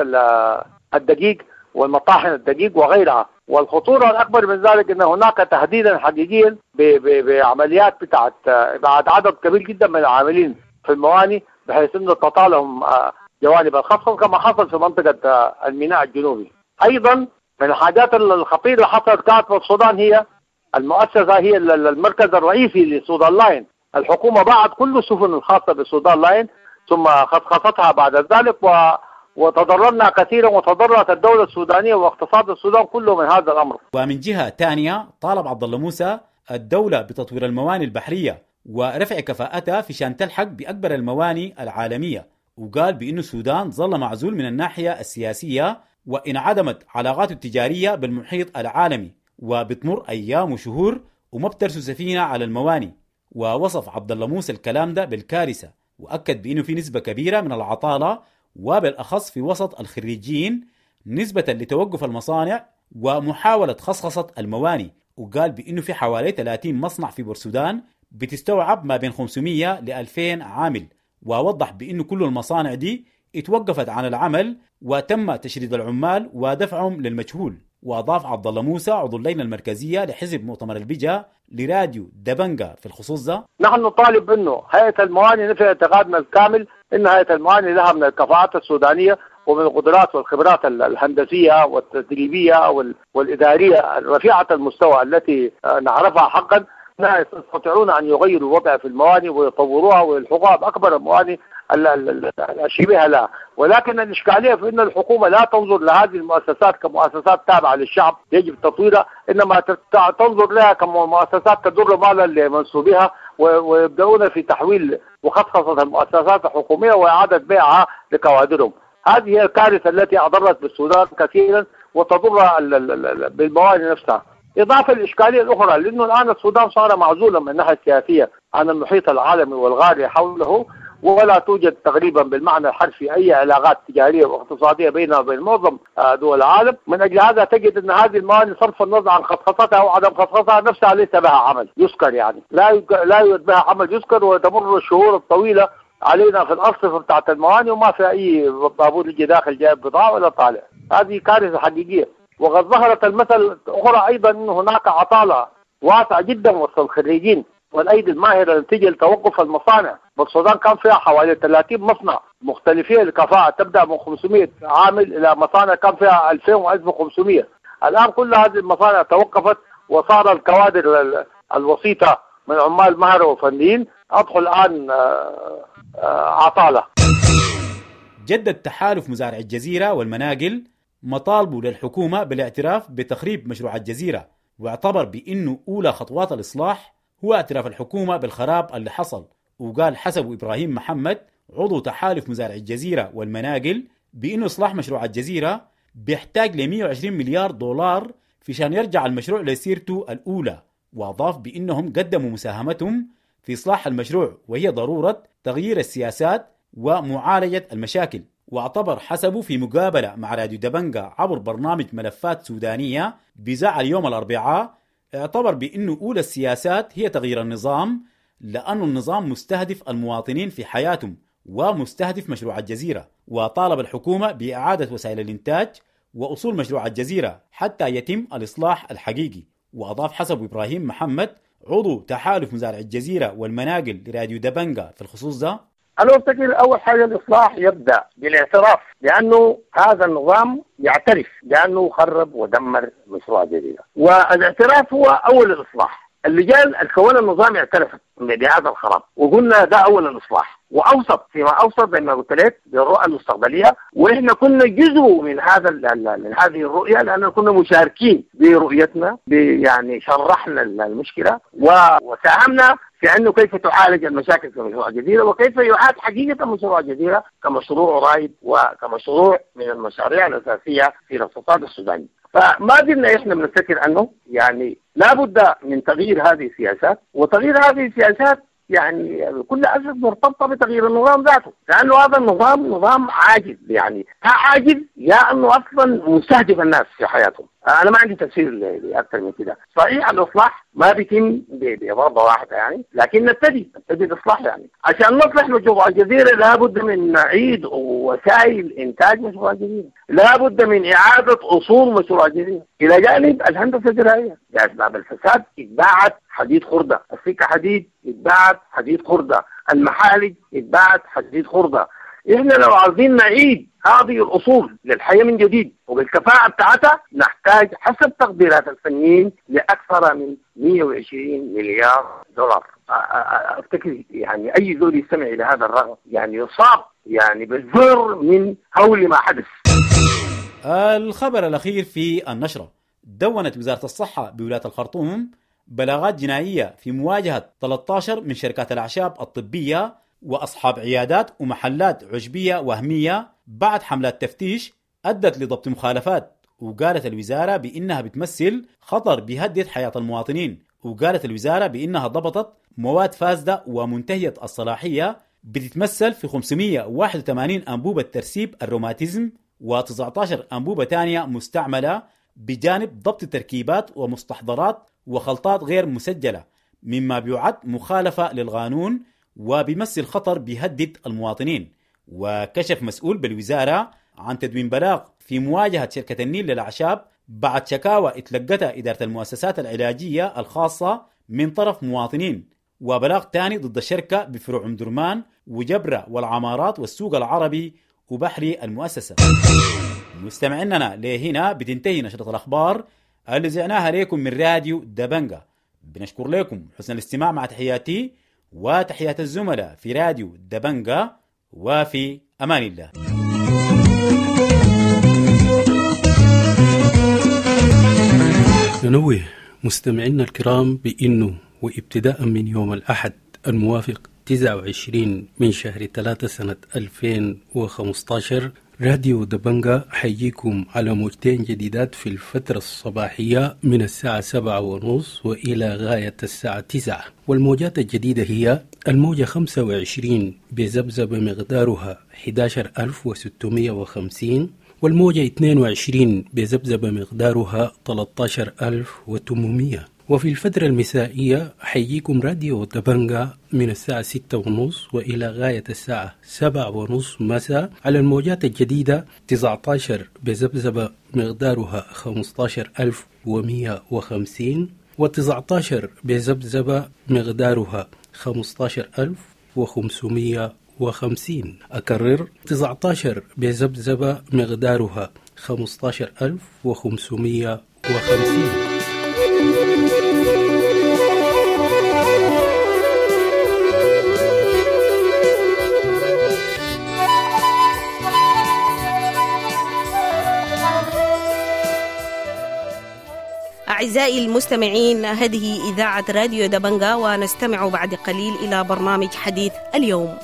الدقيق والمطاحن الدقيق وغيرها. والخطورة الأكبر من ذلك أن هناك تهديدا حقيقيا بعمليات بتاعت إبعاد عدد كبير جدا من العاملين في المواني، بحيث أنه تطالهم جوانب الخصخصة كما حصل في منطقة الميناء الجنوبي. أيضا من الحاجات الخطيرة اللي حصلت كانت في السودان هي المؤسسة، هي المركز الرئيسي لسودان لاين. الحكومة باعت كل السفن الخاصة بسودان لاين ثم خصخصتها بعد ذلك، وتضررنا كثيرا وتضررت الدولة السودانية واقتصاد السودان كله من هذا الأمر. ومن جهة ثانية طالب عبد الله موسى الدولة بتطوير الموانئ البحرية ورفع كفاءتها في شان تلحق بأكبر الموانئ العالمية. وقال بأن السودان ظل معزول من الناحية السياسية وانعدمت علاقاته التجارية بالمحيط العالمي، وبتمر أيام وشهور وما بترسو سفينة على الموانئ. ووصف عبد الله موسى الكلام ده بالكارثة، وأكد بأنه في نسبة كبيرة من العطالة وبالأخص في وسط الخريجين نسبة لتوقف المصانع ومحاولة خصخصة الموانئ. وقال بأنه في حوالي 30 مصنع في بورسودان بتستوعب ما بين 500 ل 2000 عامل، ووضح بأنه كل المصانع دي اتوقفت عن العمل وتم تشريد العمال ودفعهم للمجهول. وأضاف عبد الله موسى عضو اللجنة المركزية لحزب مؤتمر البجا لراديو دبنجا في الخصوص ده: نحن نطالب انه هيئة الموانئ نفي اعتقادنا الكامل ان هيئة الموانئ لها من الكفاءات السودانية ومن القدرات والخبرات الهندسية والتدريبية والإدارية رفيعة المستوى التي نعرفها حقا، لا يستطيعون أن يغيروا الوضع في الموانئ ويطوروها ويلحقوها بأكبر الموانئ الشبيهة لها. ولكن الإشكالية في أن الحكومة لا تنظر لهذه المؤسسات كمؤسسات تابعة للشعب يجب تطويرها، إنما تنظر لها كمؤسسات تدر مالا لمنسوبيها، ويبدأون في تحويل وخصخصة المؤسسات الحكومية وإعادة بيعها لكوادرهم. هذه هي الكارثة التي أضرت بالسودان كثيرا وتضر بالموانئ نفسها. إضافة للإشكالية الأخرى لأنه الآن السودان صار معزولا من الناحية السياسية عن المحيط العالمي والغالي حوله، ولا توجد تقريبا بالمعنى الحرفي أي علاقات تجارية واقتصادية بيننا وبين معظم دول العالم. من أجل هذا تجد أن هذه الموانئ صرف النظر عن خصخصتها أو عدم خصخصتها نفسها ليس بها عمل يذكر، يعني لا يوجد بها عمل يذكر، وتمر الشهور الطويلة علينا في الأرصفة بتاعت الموانئ وما في أي بابور يجي داخل جايب بضاعة ولا طالع. هذه كارثة حقيقية. وقد ظهرت المثل أخرى أيضا أن هناك عطالة واسعة جدا وسط الخريجين والأيدي الماهرة نتيجة لتوقف المصانع. والسودان كان فيها حوالي 30 مصنع مختلفين الكفاءة، تبدأ من 500 عامل إلى مصانع كان فيها 2000 و1500. الآن كل هذه المصانع توقفت، وصار الكوادر الوسيطة من عمال مهرة وفنيين أدخل الآن عطالة. جدد تحالف مزارع الجزيرة والمناقل مطالبه للحكومة بالاعتراف بتخريب مشروع الجزيرة، واعتبر بأنه أولى خطوات الإصلاح هو اعتراف الحكومة بالخراب اللي حصل. وقال حسب إبراهيم محمد عضو تحالف مزارع الجزيرة والمناقل بأنه إصلاح مشروع الجزيرة بيحتاج ل 120 مليار دولار في شان يرجع المشروع لسيرته الأولى. وأضاف بأنهم قدموا مساهمتهم في إصلاح المشروع، وهي ضرورة تغيير السياسات ومعالجة المشاكل. واعتبر حسبه في مقابلة مع راديو دبنجا عبر برنامج ملفات سودانية بذاع اليوم الأربعاء، اعتبر بأنه أولى السياسات هي تغيير النظام، لأن النظام مستهدف المواطنين في حياتهم ومستهدف مشروع الجزيرة. وطالب الحكومة بإعادة وسائل الإنتاج وأصول مشروع الجزيرة حتى يتم الإصلاح الحقيقي. وأضاف حسب إبراهيم محمد عضو تحالف مزارع الجزيرة والمناقل لراديو دبنجا في الخصوص ده: أنا أفتكر أول حاجة الإصلاح يبدأ بالاعتراف لأنه هذا النظام يعترف لأنه خرب ودمر مشروع الجزيرة، والاعتراف هو أول الإصلاح. اللجان الكون النظام اعترفت بهذا الخراب، وقلنا ده أول الإصلاح، وأوسط فيما أوسط زي ما قلت لك بالرؤى المستقبلية، وإحنا كنا جزء من هذا من هذه الرؤية، لأننا كنا مشاركين برؤيتنا، يعني شرحنا المشكلة وساهمنا في أنه كيف تعالج المشاكل في مشروع الجزيرة، وكيف يعاد حقيقة مشروع الجزيرة كمشروع رائد وكمشروع من المشاريع الأساسية في الاقتصاد السوداني. فما زلنا إحنا بنفتكر أنه يعني لابد من تغيير هذه السياسات، وتغيير هذه السياسات يعني بكل أسف مرتبطة بتغيير النظام ذاته، لأنه هذا النظام نظام عاجز، يعني عاجز يا أنه أصلا مستهدف الناس في حياتهم. أنا ما عندي تفسير لأكثر من كده. صحيح الإصلاح ما بيتم بضربة واحدة يعني، لكن نبتدي الإصلاح يعني عشان نصلح مشروع الجزيرة لابد من نعيد وسائل إنتاج مشروع الجزيرة، لابد من إعادة أصول مشروع الجزيرة، إلى جانب الهندسة الزراعية. لأسباب الفساد اتباعت حديد خردة، السكة حديد اتباعت حديد خردة، المحالج اتباعت حديد خردة. إحنا لو عاوزين نعيد هذه الأصول للحياة من جديد وبالكفاءة بتاعتها نحتاج حسب تقديرات الفنيين لأكثر من 120 مليار دولار. أفتكر يعني أي زول يستمع إلى هذا الرقم يعني يصاب يعني بالذعر من هول ما حدث. الخبر الأخير في النشرة: دونت وزارة الصحة بولاية الخرطوم بلاغات جنائية في مواجهة 13 من شركات الأعشاب الطبية وأصحاب عيادات ومحلات عشبية وهمية بعد حملات تفتيش أدت لضبط مخالفات. وقالت الوزارة بأنها بتمثل خطر بيهدد حياة المواطنين. وقالت الوزارة بأنها ضبطت مواد فاسدة ومنتهية الصلاحية بتتمثل في 581 أنبوبة ترسيب الروماتيزم و19 أنبوبة تانية مستعملة، بجانب ضبط تركيبات ومستحضرات وخلطات غير مسجلة، مما بيعد مخالفة للقانون وبيمثل خطر بيهدد المواطنين. وكشف مسؤول بالوزارة عن تدوين بلاغ في مواجهة شركة النيل للأعشاب بعد شكاوى اتلقتها إدارة المؤسسات العلاجية الخاصة من طرف مواطنين، وبلاغ ثاني ضد الشركة بفروع أم درمان وجبرة والعمارات والسوق العربي وبحري المؤسسة. مستمعيننا لهنا بتنتهي نشرة الأخبار اللي زعناها لكم من راديو دبنجا. بنشكر لكم حسن الاستماع، مع تحياتي وتحيات الزملاء في راديو دبنجا، وفي أمان الله. ننوه مستمعينا الكرام بأنه وابتداء من يوم الأحد الموافق 29 من شهر 3 سنة 2015 راديو دبنجا حيجيكم على موجتين جديدات في الفترة الصباحية من الساعة 7:30 وإلى غاية الساعة 9، والموجات الجديدة هي الموجة 25 بذبذبة مقدارها 11650، والموجة 22 بذبذبة مقدارها 13800. وفي الفترة المسائية حيجيكم راديو دبنجا من الساعة 6:30 وإلى غاية الساعة 7:30 مساء على الموجات الجديدة 19 بذبذبة مقدارها 15150، و19 بذبذبة مقدارها 15550. أكرر، 19 بذبذبة مقدارها 15550. أعزائي المستمعين، هذه إذاعة راديو دبنجا، ونستمع بعد قليل إلى برنامج حديث اليوم.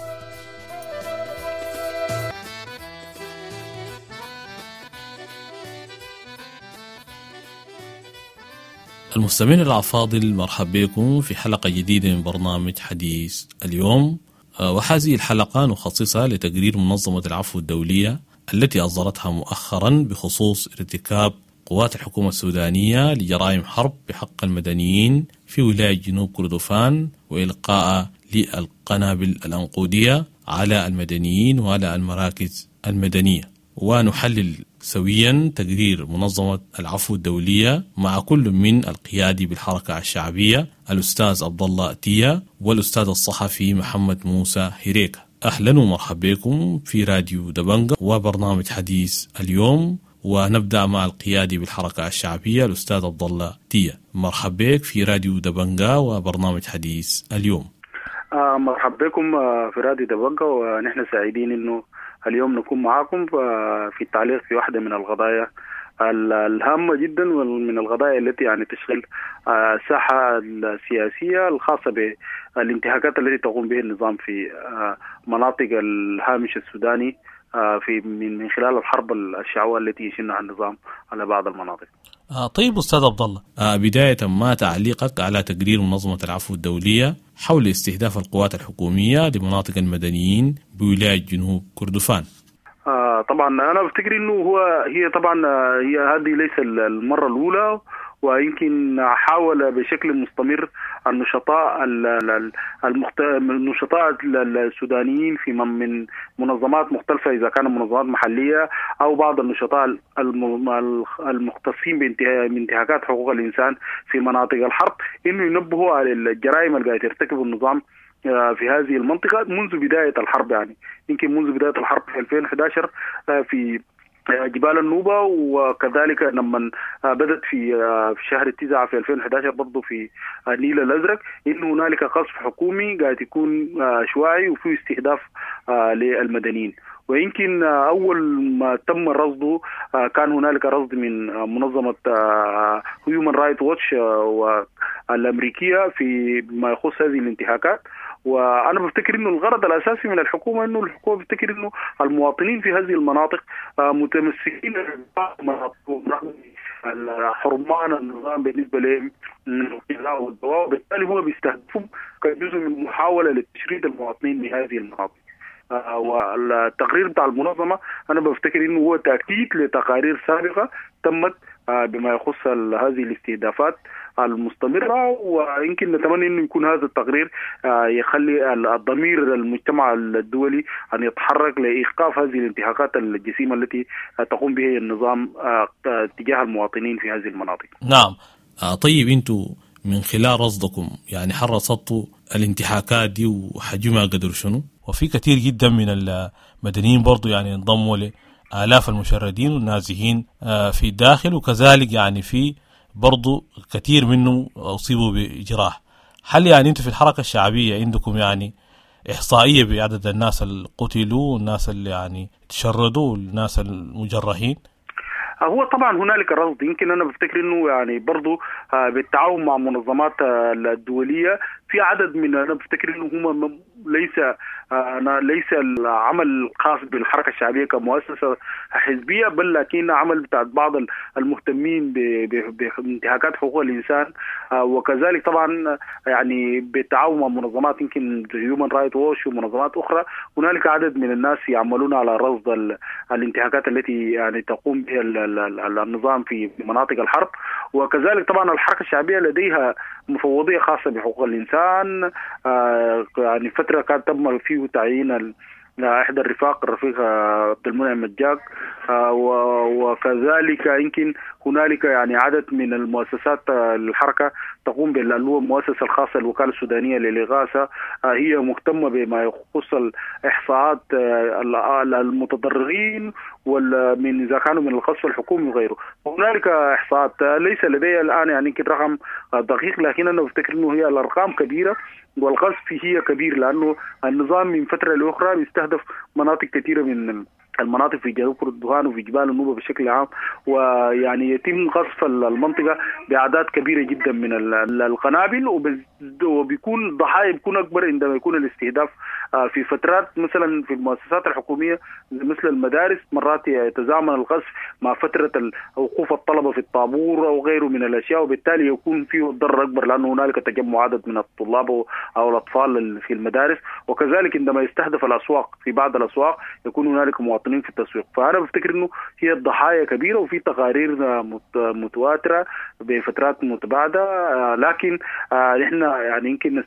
المستمعين الأفاضل، مرحبا بكم في حلقة جديدة من برنامج حديث اليوم. وهذه الحلقة نخصصها لتقرير منظمة العفو الدولية التي أصدرتها مؤخرا بخصوص ارتكاب قوات الحكومة السودانية لجرائم حرب بحق المدنيين في ولاية جنوب كردفان وإلقاء للقنابل الأنقودية على المدنيين وعلى المراكز المدنية. ونحلل سويا تقرير منظمة العفو الدولية مع كل من القيادي بالحركة الشعبية الأستاذ عبد الله تيا والأستاذ الصحفي محمد موسى هريكة. أهلا ومرحبا بكم في راديو دبنجا وبرنامج حديث اليوم. ونبدأ مع القيادي بالحركة الشعبية الأستاذ عبد الله تيا. مرحبا بك في راديو دبنجا وبرنامج حديث اليوم. مرحبا بكم في راديو دبنجا، ونحن سعيدين إنه اليوم نكون معاكم في التعليق في واحدة من القضايا الهامة جدا، ومن القضايا التي يعني تشغل الساحة السياسية الخاصة بالانتهاكات التي تقوم به النظام في مناطق الهامش السوداني في من خلال الحرب الشعواء التي يشنها النظام على بعض المناطق. طيب أستاذ عبد الله، بداية ما تعليقك على تقرير منظمة العفو الدولية حول استهداف القوات الحكومية لمناطق المدنيين بولاية جنوب كردفان؟ طبعا أنا بفتكر إنه هي هذه ليس المرة الأولى، ويمكن حاول بشكل مستمر النشطاء النشطاء السودانيين في من منظمات مختلفة، إذا كانوا منظمات محلية أو بعض النشطاء المختصين بانتهاكات حقوق الإنسان في مناطق الحرب، إنه ينبهوا على الجرائم اللي قاعد يرتكب النظام في هذه المنطقة منذ بداية الحرب. يعني يمكن منذ بداية الحرب في 2011 في جبال النوبة، وكذلك لما بدأت في شهر 9 في 2011 برضه في النيل الأزرق، إنه هنالك قصف حكومي قاعد يكون عشوائي وفيه استهداف للمدنيين. ويمكن أول ما تم رصده كان هنالك رصد من منظمة هيومن رايت ووتش الأمريكية في ما يخص هذه الانتهاكات. وأنا بفتكر إنه الغرض الأساسي من الحكومة إنه الحكومة بفتكر إنه المواطنين في هذه المناطق متمسكين رغم حرمان النظام بالنسبة لهم من الغذاء والدواء، وبالتالي هو بيستهدفهم كجزء من محاولة لتشريد المواطنين من هذه المناطق. والتقرير بتاع المنظمة أنا بفتكر إنه هو تأكيد لتقارير سابقة تمت بما يخص هذه الاستهدافات المستمرة، ويمكن نتمنى إنه يكون هذا التقرير يخلي الضمير المجتمع الدولي أن يتحرك لإيقاف هذه الانتهاكات الجسيمة التي تقوم بها النظام تجاه المواطنين في هذه المناطق. نعم. طيب أنتوا من خلال رصدكم يعني هل رصدتوا الانتهاكات دي وحجمها قدر شنو؟ وفي كثير جدا من المدنيين برضو يعني انضموا لآلاف المشردين والنازحين في الداخل، وكذلك يعني في برضو كثير منهم أصيبوا بجراح. هل يعني أنتم في الحركة الشعبية عندكم يعني إحصائية بعدد الناس اللي قتلوا والناس اللي يعني تشردوا والناس المجرحين؟ هو طبعا هنالك رصد، يمكن انا بفتكر انه يعني برضو بالتعاون مع منظمات الدوليه في عدد من، انا بفتكر انه هم ليس العمل الخاص بالحركة الشعبية كمؤسسة حزبية، بل لكن عمل بتاع بعض المهتمين بانتهاكات حقوق الانسان، وكذلك طبعا يعني بالتعاون مع منظمات يمكن هيومن رايت ووش ومنظمات اخرى. هنالك عدد من الناس يعملون على رصد الانتهاكات التي يعني تقوم بها النظام في مناطق الحرب. وكذلك طبعا الحركة الشعبية لديها مفوضيه خاصة بحقوق الانسان، يعني فترة كان تم فيه تعيين احدى الرفاق، الرفيق عبد المنعم مجاك، وكذلك يمكن هنالك يعني عدد من المؤسسات الحركة تقوم باللي هو المؤسسة الخاصة الوكالة السودانية للاغاثة، هي مهتمة بما يخص الاحصاءات المتضررين ومن اذا كانوا من القصف الحكومي وغيره. هنالك احصاءات ليس لدي الان يعني يمكن رقم دقيق، لكن انا بفتكر انه هي الارقام كبيرة والقصف هي كبير، لانه النظام من فترة لاخرى بيستهدف مناطق كثيرة من المناطق في جنوب كردفان وفي جبال النوبة بشكل عام، ويعني يتم قصف المنطقة باعداد كبيرة جدا من القنابل، وبيكون الضحايا بيكون اكبر عندما يكون الاستهداف في فترات مثلا في المؤسسات الحكومية مثل المدارس، مرات يتزامن القصف مع فترة وقوف الطلبة في الطابور او غيره من الاشياء، وبالتالي يكون فيه الضرر اكبر لانه هنالك تجمع عدد من الطلاب او الاطفال في المدارس. وكذلك عندما يستهدف الاسواق، في بعض الاسواق يكون هنالك مواطنين في التسويق. فانا بفتكر انه هي الضحايا كبيرة وفي تقارير متواترة بفترات متباعدة، لكن نحن يعني يمكن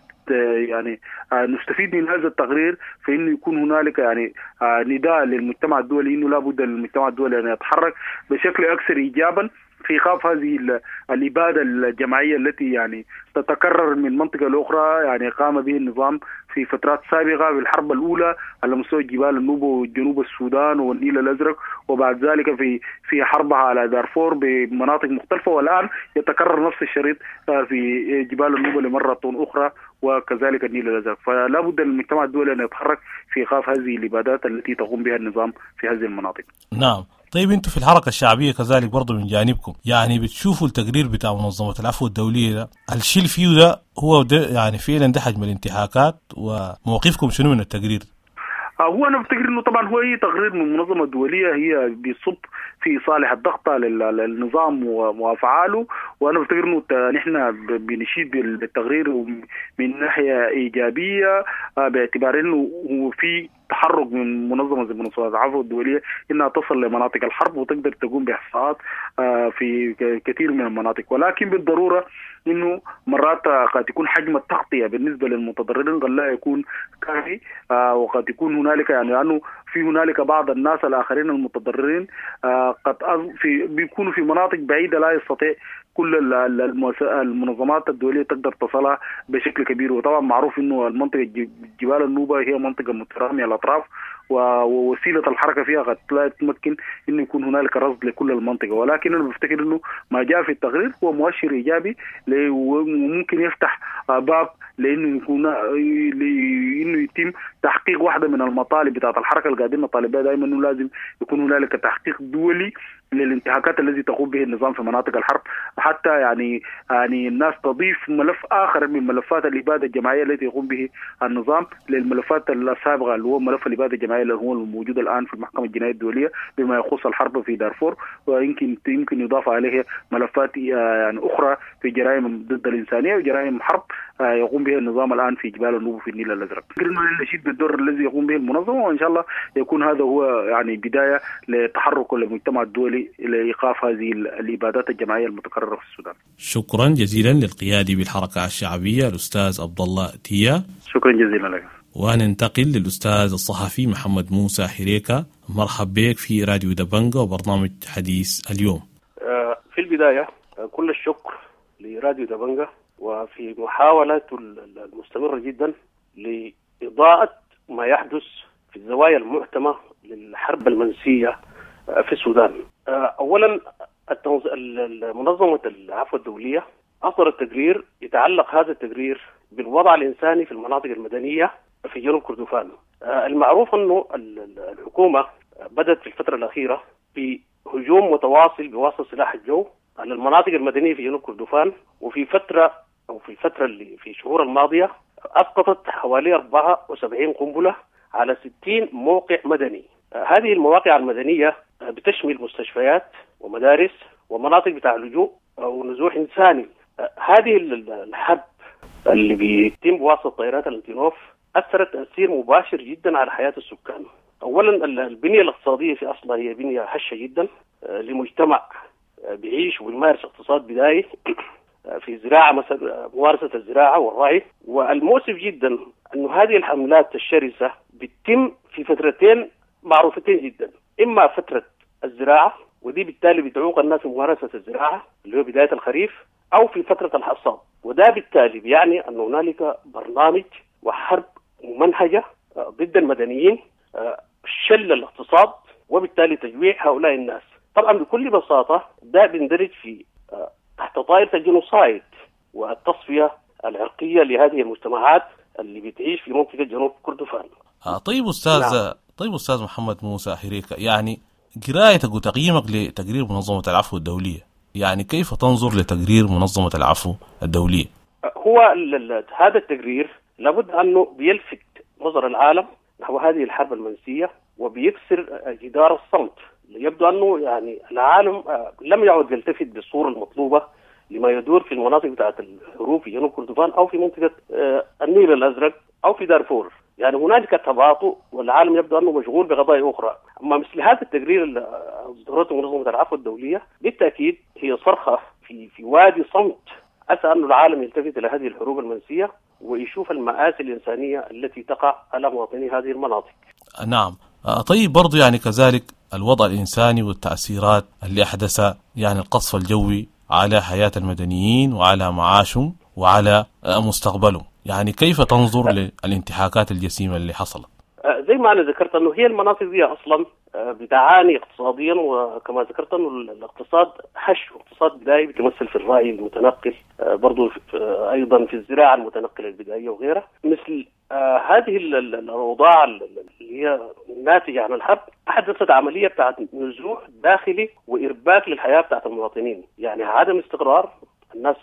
يعني نستفيد من هذا التقرير في انه يكون هنالك يعني نداء للمجتمع الدولي انه لابد للمجتمع الدولي ان يتحرك بشكل اكثر ايجابا في ايقاف هذه الابادة الجماعية التي يعني تتكرر من منطقة لاخرى، يعني قام به النظام في فترات سابقه في الحرب الاولى على مستوى جبال النوبة وجنوب السودان والنيل الازرق، وبعد ذلك في حربها على دارفور بمناطق مختلفة، والان يتكرر نفس الشريط في جبال النوبة لمره اخرى وكذلك النيل الازرق. فلا بد للمجتمع الدولي ان يتحرك في ايقاف هذه الابادات التي تقوم بها النظام في هذه المناطق. نعم. طيب انتم في الحركة الشعبية كذلك برضو من جانبكم يعني بتشوفوا التقرير بتاع منظمة العفو الدولية ده، الشيء فيه ده هو ده يعني فعلا ده حجم الانتهاكات، وموقفكم شنو من التقرير؟ هو انا بفتكر انه طبعا هو اي تقرير من منظمة دولية هي بيصب في صالح الضغط على النظام وافعاله، وانا بفتكر انه نحن بنشيد بالتقرير من ناحية ايجابية، باعتبار انه هو في تحرك من منظمة زي منظمة العفو الدولية انها تصل لمناطق الحرب وتقدر تقوم باحصاءات في كثير من المناطق، ولكن بالضرورة انه مرات قد يكون حجم التغطية بالنسبة للمتضررين قد لا يكون كافي، وقد يكون هنالك يعني لانه في هنالك بعض الناس الاخرين المتضررين قد في بيكونوا في مناطق بعيدة لا يستطيع كل المنظمات الدولية تقدر تصلها بشكل كبير. وطبعا معروف انه المنطقة جبال النوبة هي منطقة متراميه الاطراف، ووسيلة الحركة فيها قد لا تمكن انه يكون هنالك رصد لكل المنطقة، ولكن انا بفتكر انه ما جاء في التقرير هو مؤشر ايجابي وممكن يفتح باب لانه يكون انه يتم تحقيق واحدة من المطالب بتاعت الحركة اللي قاعدين نطالب بها دائما، انه لازم يكون هنالك تحقيق دولي للانتهاكات التي تقوم به النظام في مناطق الحرب، حتى يعني الناس تضيف ملف اخر من ملفات الابادة الجماعية التي يقوم به النظام للملفات السابقة اللي هو ملف الابادة الجماعية اللي هو الموجود الان في المحكمة الجنائية الدولية بما يخص الحرب في دارفور، ويمكن يضاف عليه ملفات يعني اخرى في جرائم ضد الانسانية وجرائم حرب يقوم بها النظام الان في جبال النوبة في النيل الازرق. نشيد بالدور الذي يقوم به المنظمة، وان شاء الله يكون هذا هو يعني بداية لتحرك المجتمع الدولي لايقاف هذه الابادات الجماعية المتكررة في السودان. شكرا جزيلا للقيادي بالحركة الشعبية الاستاذ عبد الله تيا. شكرا جزيلا لك. وننتقل للاستاذ الصحفي محمد موسى حريكه، مرحب بك في راديو دبنجا وبرنامج حديث اليوم. في البداية كل الشكر لراديو دبنجا وفي محاولة المستمرة جدا لإضاءة ما يحدث في الزوايا المعتمة للحرب المنسية في السودان. أولا منظمة العفو الدولية أصدرت تقرير يتعلق هذا التقرير بالوضع الإنساني في المناطق المدنية في جنوب كردفان. المعروف أنه الحكومة بدأت في الفترة الأخيرة بهجوم متواصل بواسطة سلاح الجو على المناطق المدنية في جنوب كردفان، وفي فترة أو في الفترة اللي في الشهور الماضية أسقطت حوالي 74 قنبلة على 60 موقع مدني. هذه المواقع المدنية بتشمل مستشفيات ومدارس ومناطق بتاع لجوء أو نزوح إنساني. هذه الحرب اللي بيتم بواسطة طائرات الانتينوف أثرت تأثير مباشر جدا على حياة السكان. أولا البنية الاقتصادية في أصلها هي بنية هشة جدا لمجتمع بيعيش وبيمارس اقتصاد بدائي في زراعة مثلا، ممارسة الزراعة والرعي. والمؤسف جدا أن هذه الحملات الشرسة بتتم في فترتين معروفتين جدا، إما فترة الزراعة ودي بالتالي بتعوق الناس في ممارسة الزراعة اللي هو بداية الخريف، أو في فترة الحصاد، وده بالتالي بيعني أن هنالك برنامج وحرب ممنهجة ضد المدنيين، شل الاقتصاد وبالتالي تجويع هؤلاء الناس. طبعا بكل بساطة ده بيندرج في تحت طائرة الجنوسايد والتصفية العرقية لهذه المجتمعات اللي بتعيش في منطقة جنوب كردفان. طيب أستاذ، نعم. طيب أستاذ محمد موسى حريكة، يعني قرايتك وتقييمك لتقرير منظمة العفو الدولية، يعني كيف تنظر لتقرير منظمة العفو الدولية؟ هو هذا التقرير لابد أنه بيلفت نظر العالم نحو هذه الحرب المنسية وبيكسر جدار الصمت. يبدو أنه يعني العالم لم يعد يلتفت بالصورة المطلوبة لما يدور في المناطق بتاعت الحروب في جنوب كردفان أو في منطقة النيل الأزرق أو في دارفور. يعني هنالك تباطؤ والعالم يبدو أنه مشغول بقضايا أخرى. أما مثل هذا التقرير اللي أصدرته منظمة العفو الدولية بالتأكيد هي صرخة في وادي صمت، عسى أن العالم يلتفت إلى هذه الحروب المنسية ويشوف المآسي الإنسانية التي تقع على مواطني هذه المناطق. نعم. طيب برضو يعني كذلك الوضع الإنساني والتأثيرات اللي أحدث يعني القصف الجوي على حياة المدنيين وعلى معاشهم وعلى مستقبلهم، يعني كيف تنظر للانتهاكات الجسيمة اللي حصلت؟ زي ما أنا ذكرت أنه هي المناطق دي أصلا بتعاني اقتصاديا، وكما ذكرت أنه الاقتصاد هش، اقتصاد بدائي بيتمثل في الرعي المتنقل، برضو أيضا في الزراعة المتنقلة البدائية وغيرها. مثل هذه الأوضاع اللي هي ناتجة عن الحرب أحدثت عملية بتاعت نزوح داخلي وإرباك للحياة بتاعت المواطنين، يعني عدم استقرار، الناس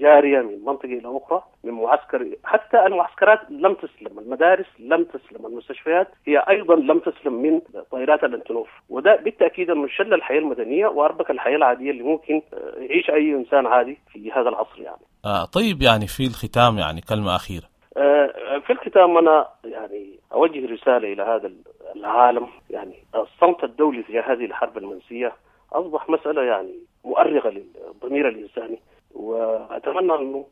جارية من منطقة إلى أخرى، من معسكر، حتى المعسكرات لم تسلم، المدارس لم تسلم، المستشفيات هي أيضا لم تسلم من طائرات الانتنوف. وده بالتأكيد أنه شل الحياة المدنية وأربك الحياة العادية اللي ممكن يعيش أي إنسان عادي في هذا العصر يعني. طيب يعني في الختام يعني كلمة أخيرة. في الختام أنا يعني أوجه رسالة إلى هذا العالم، يعني الصمت الدولي في هذه الحرب المنسية أصبح مسألة يعني مؤرقة للضمير الإنساني، وأتمنى أنه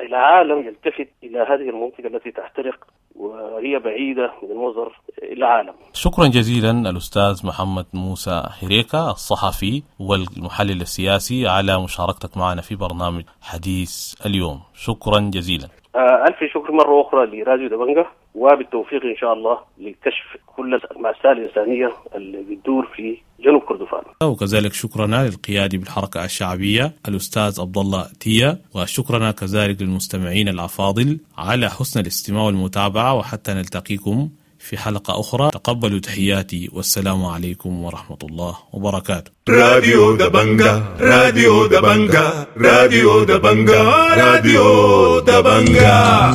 العالم يلتفت إلى هذه المنطقة التي تحترق وهي بعيدة من النظر العالم. شكرا جزيلا الأستاذ محمد موسى حريكة الصحفي والمحلل السياسي على مشاركتك معنا في برنامج حديث اليوم، شكرا جزيلا. ألف شكر مرة أخرى لراديو دبنجة، وبالتوفيق إن شاء الله لكشف كل المأساة الإنسانية اللي بتدور في جنوب كردفان. وكذلك شكرنا للقيادي بالحركة الشعبية الأستاذ عبد الله تيا، وشكرنا كذلك للمستمعين الأفاضل على حسن الاستماع والمتابعة، وحتى نلتقيكم في حلقة أخرى تقبلوا تحياتي والسلام عليكم ورحمة الله وبركاته. راديو دبنجة، راديو دبنجة، راديو دبنجة، راديو دبنجة.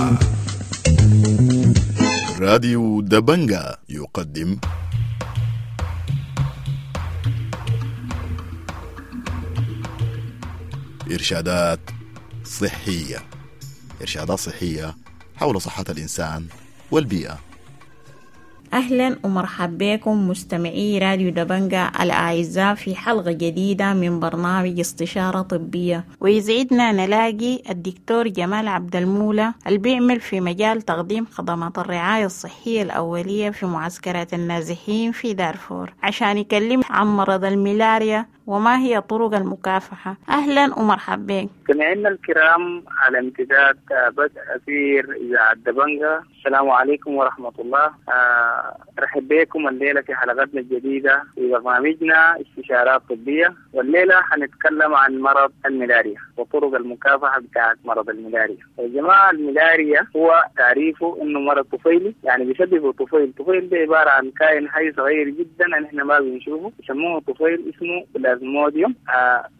راديو دبنجة يقدم إرشادات صحية، إرشادات صحية حول صحة الإنسان والبيئة. أهلا ومرحبا بكم مستمعي راديو دبنجة الأعزاء في حلقة جديدة من برنامج استشارة طبية، ويسعدنا نلاقي الدكتور جمال عبد المولى اللي بيعمل في مجال تقديم خدمات الرعاية الصحية الأولية في معسكرات النازحين في دارفور عشان يكلم عن مرض الملاريا وما هي طرق المكافحة. أهلا ومرحبا بك. مستمعينا الكرام على امتداد بدء أثير إذاعة دبنجة، السلام عليكم ورحمة الله. رحب بكم الليلة في حلقتنا الجديدة في برنامجنا استشارات طبية. والليلة حنتكلم عن مرض الملاريا وطرق المكافحة بتاعت مرض الملاريا. يا جماعة الملاريا هو تعريفه إنه مرض طفيلي، يعني بيسببه طفيل. طفيل ده عبارة عن كائن حي صغير جدا نحن ما بنشوفه، يسموه طفيل، اسمه بلازموديوم.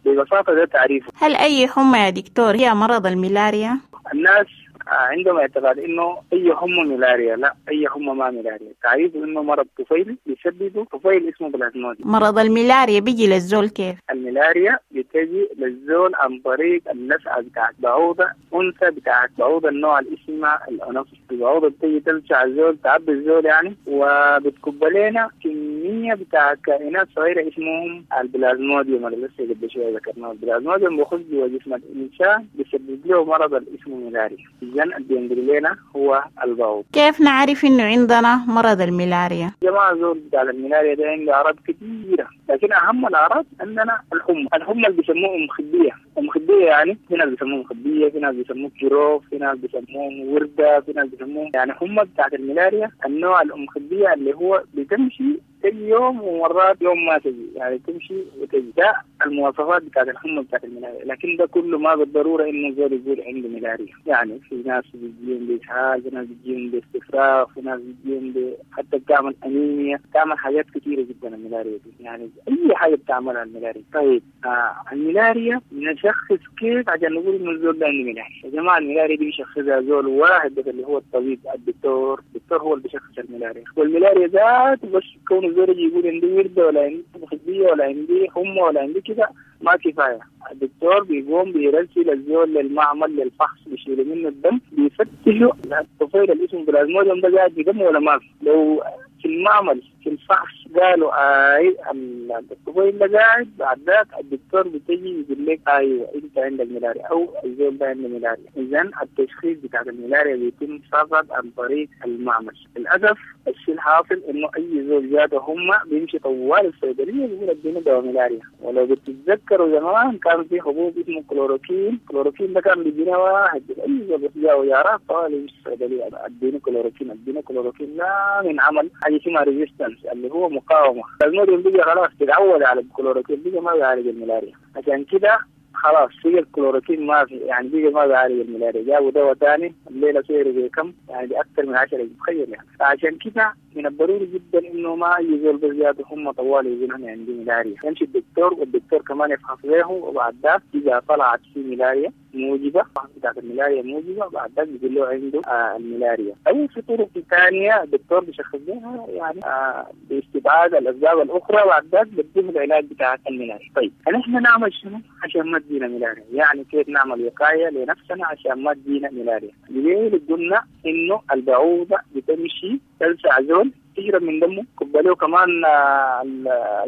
ببساطة ده تعريفه. هل أي حمى يا دكتور هي مرض الملاريا؟ الناس عندهم اعتقاد انه اي حمى ملاريا، لا، اي حمى ما ملاريا. تعريفه انه مرض طفيلي بيسببه طفيل اسمه بلازموديوم. مرض الملاريا بيجي للزول كيف؟ الملاريا بتجي للزول عن طريق اللسعه بتاعت بعوضة انثى بتاعت بعوضة النوع اللي اسمها الانوفيس. البعوضة بتجي تلسع الزول، تعبي الزول يعني، وبتكب لنا كمية بتاعت كائنات صغيرة اسمهم البلازموديوم اللي لسه قبل شوية ذكرناه. البلازموديوم بيخش جوا جسم الانسان بيسبب له مرض اللي اسمه ملاريا. إذن اللي بينقل لنا هو البعوض. كيف نعرف إنه عندنا مرض الملاريا؟ يا جماعة زول بتاع الملاريا ده عنده أعراض كثيرة، لكن أهم الأعراض عندنا الحمى. الحمى اللي بيسموه أم خبية. أم خبية يعني في ناس بيسموه مخبية، في ناس بيسموه جروف، في ناس بيسموه وردة، في ناس بيسموه يعني حمى بتاعت الملاريا النوع الأم خبية اللي هو بتمشي تجي يوم ومرات يوم ما تجي، يعني تمشي وتجي. ده المواصفات بتاعت الحمى بتاعت الملاريا، لكن ده كله ما بالضرورة إنه زول يقول عنده ملاريا. يعني في ناس بيجيهم بإسهال، في ناس بيجيهم باستفراغ، في ناس بيجيهم حتى بتعمل أنيميا، بتعمل حاجات كثيرة جدا الملاريا دي، يعني أي حاجة بتعملها الملاريا. طيب الملاريا نشخص كيف عشان نقول إنه الزول ده عنده ملاريا؟ يا جماعة الملاريا دي بيشخصها زول واحد بس اللي هو الطبيب الدكتور. الدكتور هو اللي بيشخص الملاريا، والملاريا ذاته بس كون الزول يجي يقول عندي وردة ولا عندي مخبية ولا عندي حمى ولا عندي كده ما كفاية. الدكتور بيقوم بيرسل الزول للمعمل للفحص، بيشيلوا منه الدم، بيفتشوا الطفيل اللي اسمه بلازموديوم ده قاعد في دمه ولا ما في. لو في المعمل في الفحص قالوا اي الطفيل ده قاعد، بعد ذاك الدكتور بتجي يقول لك ايوه انت عندك ملاريا او الزول ده عنده ملاريا. اذا التشخيص بتاع الملاريا بيتم فقط عن طريق المعمل. للاسف الشيء الحاصل انه اي زول جاته هم بيمشي طوال الصيدلية بيقول اديني دواء ملاريا. ولو بتتذكروا زمان كان في حبوب اسمه كلوروكين، كلوروكين ده كان بيجينا واحد اي زول بس جاء ويارات طوال يمشي الصيدلية اديني كلوروكين اديني كلوروكين، لا من عمل حاجة اسمها resistance اللي هو مقاومة. الموديل بقى خلاص تتعود على الكلوروكين، بقى ما بيعالج الملاريا. عشان كده خلاص بقى الكلوروكين ما في، يعني بقى ما بيعالج الملاريا. جابوا دواء ثاني الليلة سعره بكم؟ يعني باكثر من 10، تخيل يعني. فعشان كده من الضروري جدا انه ما اي زول بس جاته هم طوال يقول انا عندي ملاريا، يمشي الدكتور والدكتور كمان يفحص له، وبعد ذاك اذا طلعت في ملاريا موجبه، بتاعت الملاريا موجبه، بعد ذاك بيقول له عنده الملاريا. او في طرق ثانية الدكتور بيشخص بها يعني باستبعاد الاسباب الاخرى، بعد ذاك بيديه العلاج بتاع الملاريا. طيب نحن نعمل شنو عشان ما تجينا ملاريا؟ يعني كيف نعمل وقاية لنفسنا عشان ما تجينا ملاريا؟ ليه قلنا انه البعوضة بتمشي تلسع زول، تشرب من دمه، كب له كمان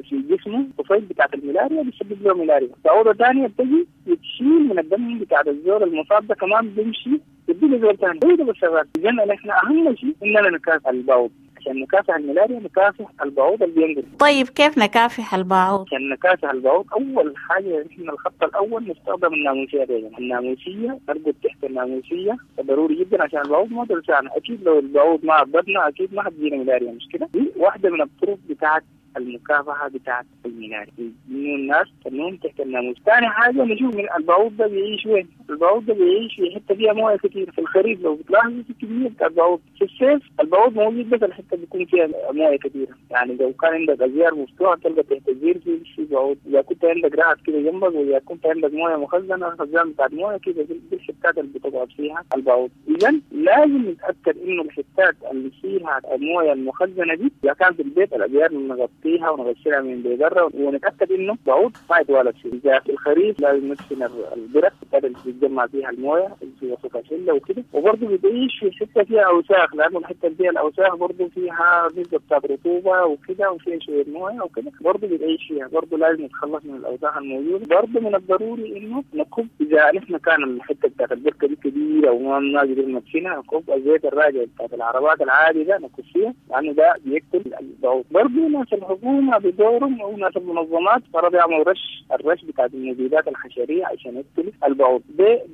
في جسمه طفيل بتاعت الملاريا بيسبب له ملاريا. بعوضة ثانية بتجي بتشيل من الدم بتاع الزول المصاب ده كمان بيمشي تدي له زول ثاني. هو ده بس شغال. اذا نحن اهم شيء اننا نكافح البعوض. عشان نكافح الملاريا نكافح البعوض اللي بينقل. طيب كيف نكافح البعوض؟ عشان نكافح البعوض اول حاجة نحن الخط الاول نستخدم الناموسيه. دايما الناموسيه، نرقد تحت الناموسيه ضروري جدا عشان البعوض ما تلسعنا. اكيد لو البعوض ما عضتنا اكيد ما حتجينا ملاريا، مش كده؟ دي واحدة من الطرق بتاعت المكافحه بتاعت الملاريا، انه الناس تنوم تحت الناموس. ثاني حاجة نشوف من البعوض ده بيعيش وين؟ البعوض ده بيعيش في حتة فيها مويه كثير. في الخريف لو بتلاحظوا في كمية بتاع البعوض، في الصيف البعوض موجود بس الحتة بيكون فيها مويه كثيرة. يعني لو كان عندك ازيار مفتوحة تلقى تحت الزير في بعوض، اذا كنت عندك رعد كده جنبك، واذا كنت عندك مويه مخزنة خزان بتاعت مويه كده، دي الحتات اللي بتقعد فيها البعوض. اذا لازم نتاكد انه الحتات اللي فيها المويه المخزنه دي اذا كان في البيت الازيار نغطيها ونغسلها من برا، ونتاكد انه بعوض ما يتوالد فيه. اذا في الخريف لازم ندفن البرك اللي بيتجمع فيها المويه اللي في وسط الشلة وكده. وبرضه بتعيش في حتة فيها اوساخ، لانه الحتة اللي فيها الاوساخ برضه فيها نسبه بتاعت رطوبة وكده وفيها شوية مويه وكده، برضه بتعيش فيها. برضه لازم نتخلص من الاوساخ الموجودة. برضه من الضروري انه نكب اذا نحن كان الحتة بتاعت البركة دي كبيرة وما قدرنا ندفنها، نكب الزيت الراجع بتاعت العربات العادي ده نكب فيها، لانه ده بيقتل البعوض. برضه ناس الحكومة بدورهم او ناس المنظمات فرض يعملوا رش، الرش بتاعت المبيدات الحشريه عشان يقتلوا البعوض.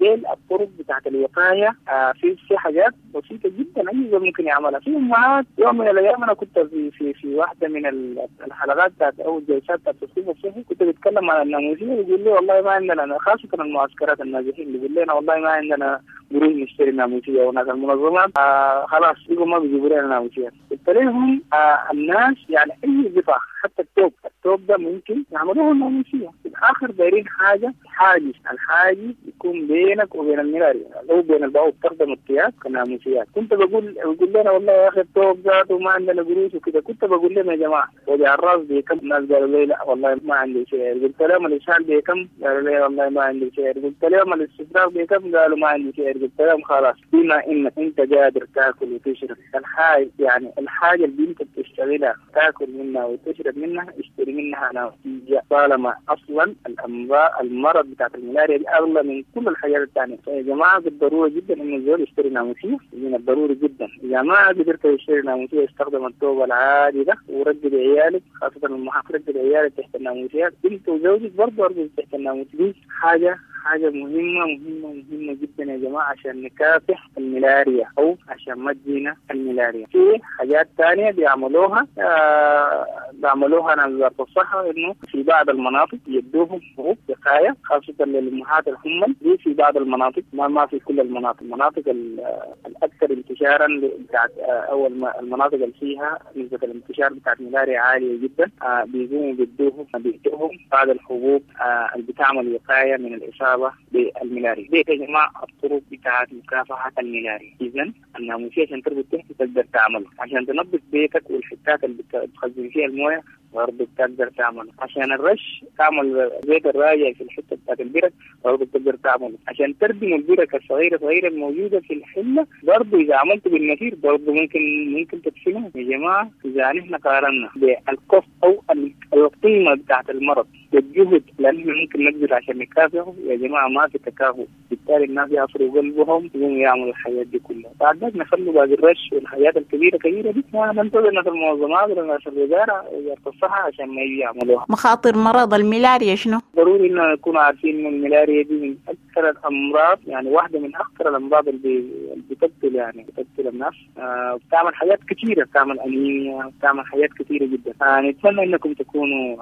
دي الطرق بتاعت الوقاية. في حاجات بسيطة جدا اي زول ممكن يعملها. في امهات يوم من الايام انا كنت في في في واحدة من الحلقات بتاعت او الجلسات بتاعت التصنيف الصحي، كنت بتكلم عن الناموسيه، بيقول لي والله ما عندنا، خاصة المعسكرات النازحين، بيقول لنا والله ما عندنا قروش نشتري ناموسيه، وناس المنظمات خلاص بيقوا ما بيجيبوا لنا ناموسيات. قلت لهم الناس يعني اي قطع حتى التوب ده ممكن يعملوه ناموسيه. في الاخر دايرين حاجة حاجز، الحاجز يكون بينك وبين الملاريا او بين البعوض، تخدم الثياب كناموسيات. كنت بقول لنا والله يا اخي التوب ذاته ما عندنا قروش وكده. كنت بقول لهم يا جماعة وجع الراس بكم؟ الناس قالوا لي لا والله ما عندي شيء. قلت لهم الاسهال بكم؟ قالوا لي والله ما عندي شيء. قلت لهم الاستفراغ بكم؟ قالوا ما عندي شيء. قلت لهم خلاص، بما انك انت قادر تاكل وتشرب الحاجة، يعني الحاجة اللي انت بتشتغلها تاكل منها وتشرب منها، اشتري منها ناموسيه، طالما اصلا الامراض المرض بتاعت الملاريا دي اغلى من كل الحاجات الثانية. فيا جماعة بالضرورة جدا انه الزول يشتري ناموسيه، من الضروري جدا. اذا ما قدرت تشتري ناموسيه استخدم الثوب العادي ده ورجل عيالك، خاصة المحافظ، رجل عيالك تحت الناموسيات، انت وزوجك برضه ارجل تحت الناموسيه. دي حاجة مهمة مهمة مهمة جدا يا جماعة عشان نكافح الملاريا أو عشان ما تجينا الملاريا. في حاجات تانية بيعملوها عن وزارة الصحة، إنه في بعض المناطق يدوهم حبوب وقاية خاصة للأمهات الحمل دي في بعض المناطق، ما في كل المناطق، المناطق الأكثر انتشارا بتاعت أو المناطق اللي فيها نسبة الانتشار بتاعت الملاريا عالية جدا، بيقوموا بيدوهم بعض الحبوب اللي بتعمل وقاية من الإصابة بالملاريا. دي يا جماعة الطرق بتاعت مكافحة الملاريا. إذا الناموسية عشان تربط تحت تقدر تعمله، عشان تنظف بيتك والحتات اللي بتخزن فيها الموية برضه بتقدر تعمله، عشان الرش تعمل زيت الراجع في الحتة بتاعت البرك برضه بتقدر تعمله، عشان تردم البرك الصغيرة صغيرة الموجودة في الحلة برضه إذا عملته بالنفير برضه ممكن تدفنه. يا جماعة إذا نحن قارنا بالكوست أو القيمة بتاعت المرض والجهد اللي نحن ممكن نبذل عشان نكافحه، يا جماعة ما في تكافؤ. بالتالي الناس يعصروا قلبهم يقوموا يعملوا الحياة دي كلها. بعد ذلك نخلوا باقي الرش والحياة الكبيرة كبيرة دي، ما ننتظر ناس المنظمات ولا ناس الوزارة وزارة الصحة عشان ما يجي يعملوها. مخاطر مرض الملاريا شنو؟ ضروري إنه نكون عارفين إنه الملاريا دي من أكثر الأمراض، يعني واحدة من أخطر الأمراض اللي بتقتل، يعني بتقتل الناس، بتعمل حاجات كثيرة، بتعمل أنيميا، بتعمل حاجات كثيرة جدا. نتمنى إنكم تكونوا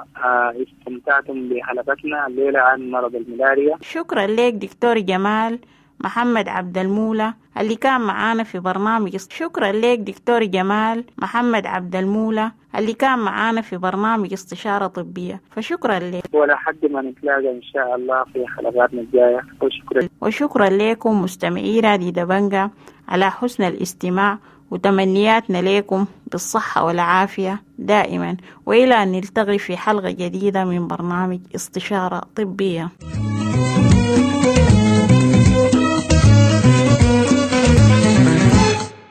استمتعتم بحلقتنا الليلة عن مرض الملاريا. شكرا لك دكتور جمال محمد عبد المولى اللي كان معانا في برنامج. شكرا لك دكتور جمال محمد عبد المولى اللي كان معانا في برنامج استشارة طبية، فشكرا لك. ولا حد ما نتلاقى إن شاء الله في حلقاتنا الجاية، وشكرا. وشكرا لكم مستمعي راديو دبنجة على حسن الاستماع، وتمنياتنا لكم بالصحة والعافية دائما، وإلى أن نلتقي في حلقة جديدة من برنامج استشارة طبية.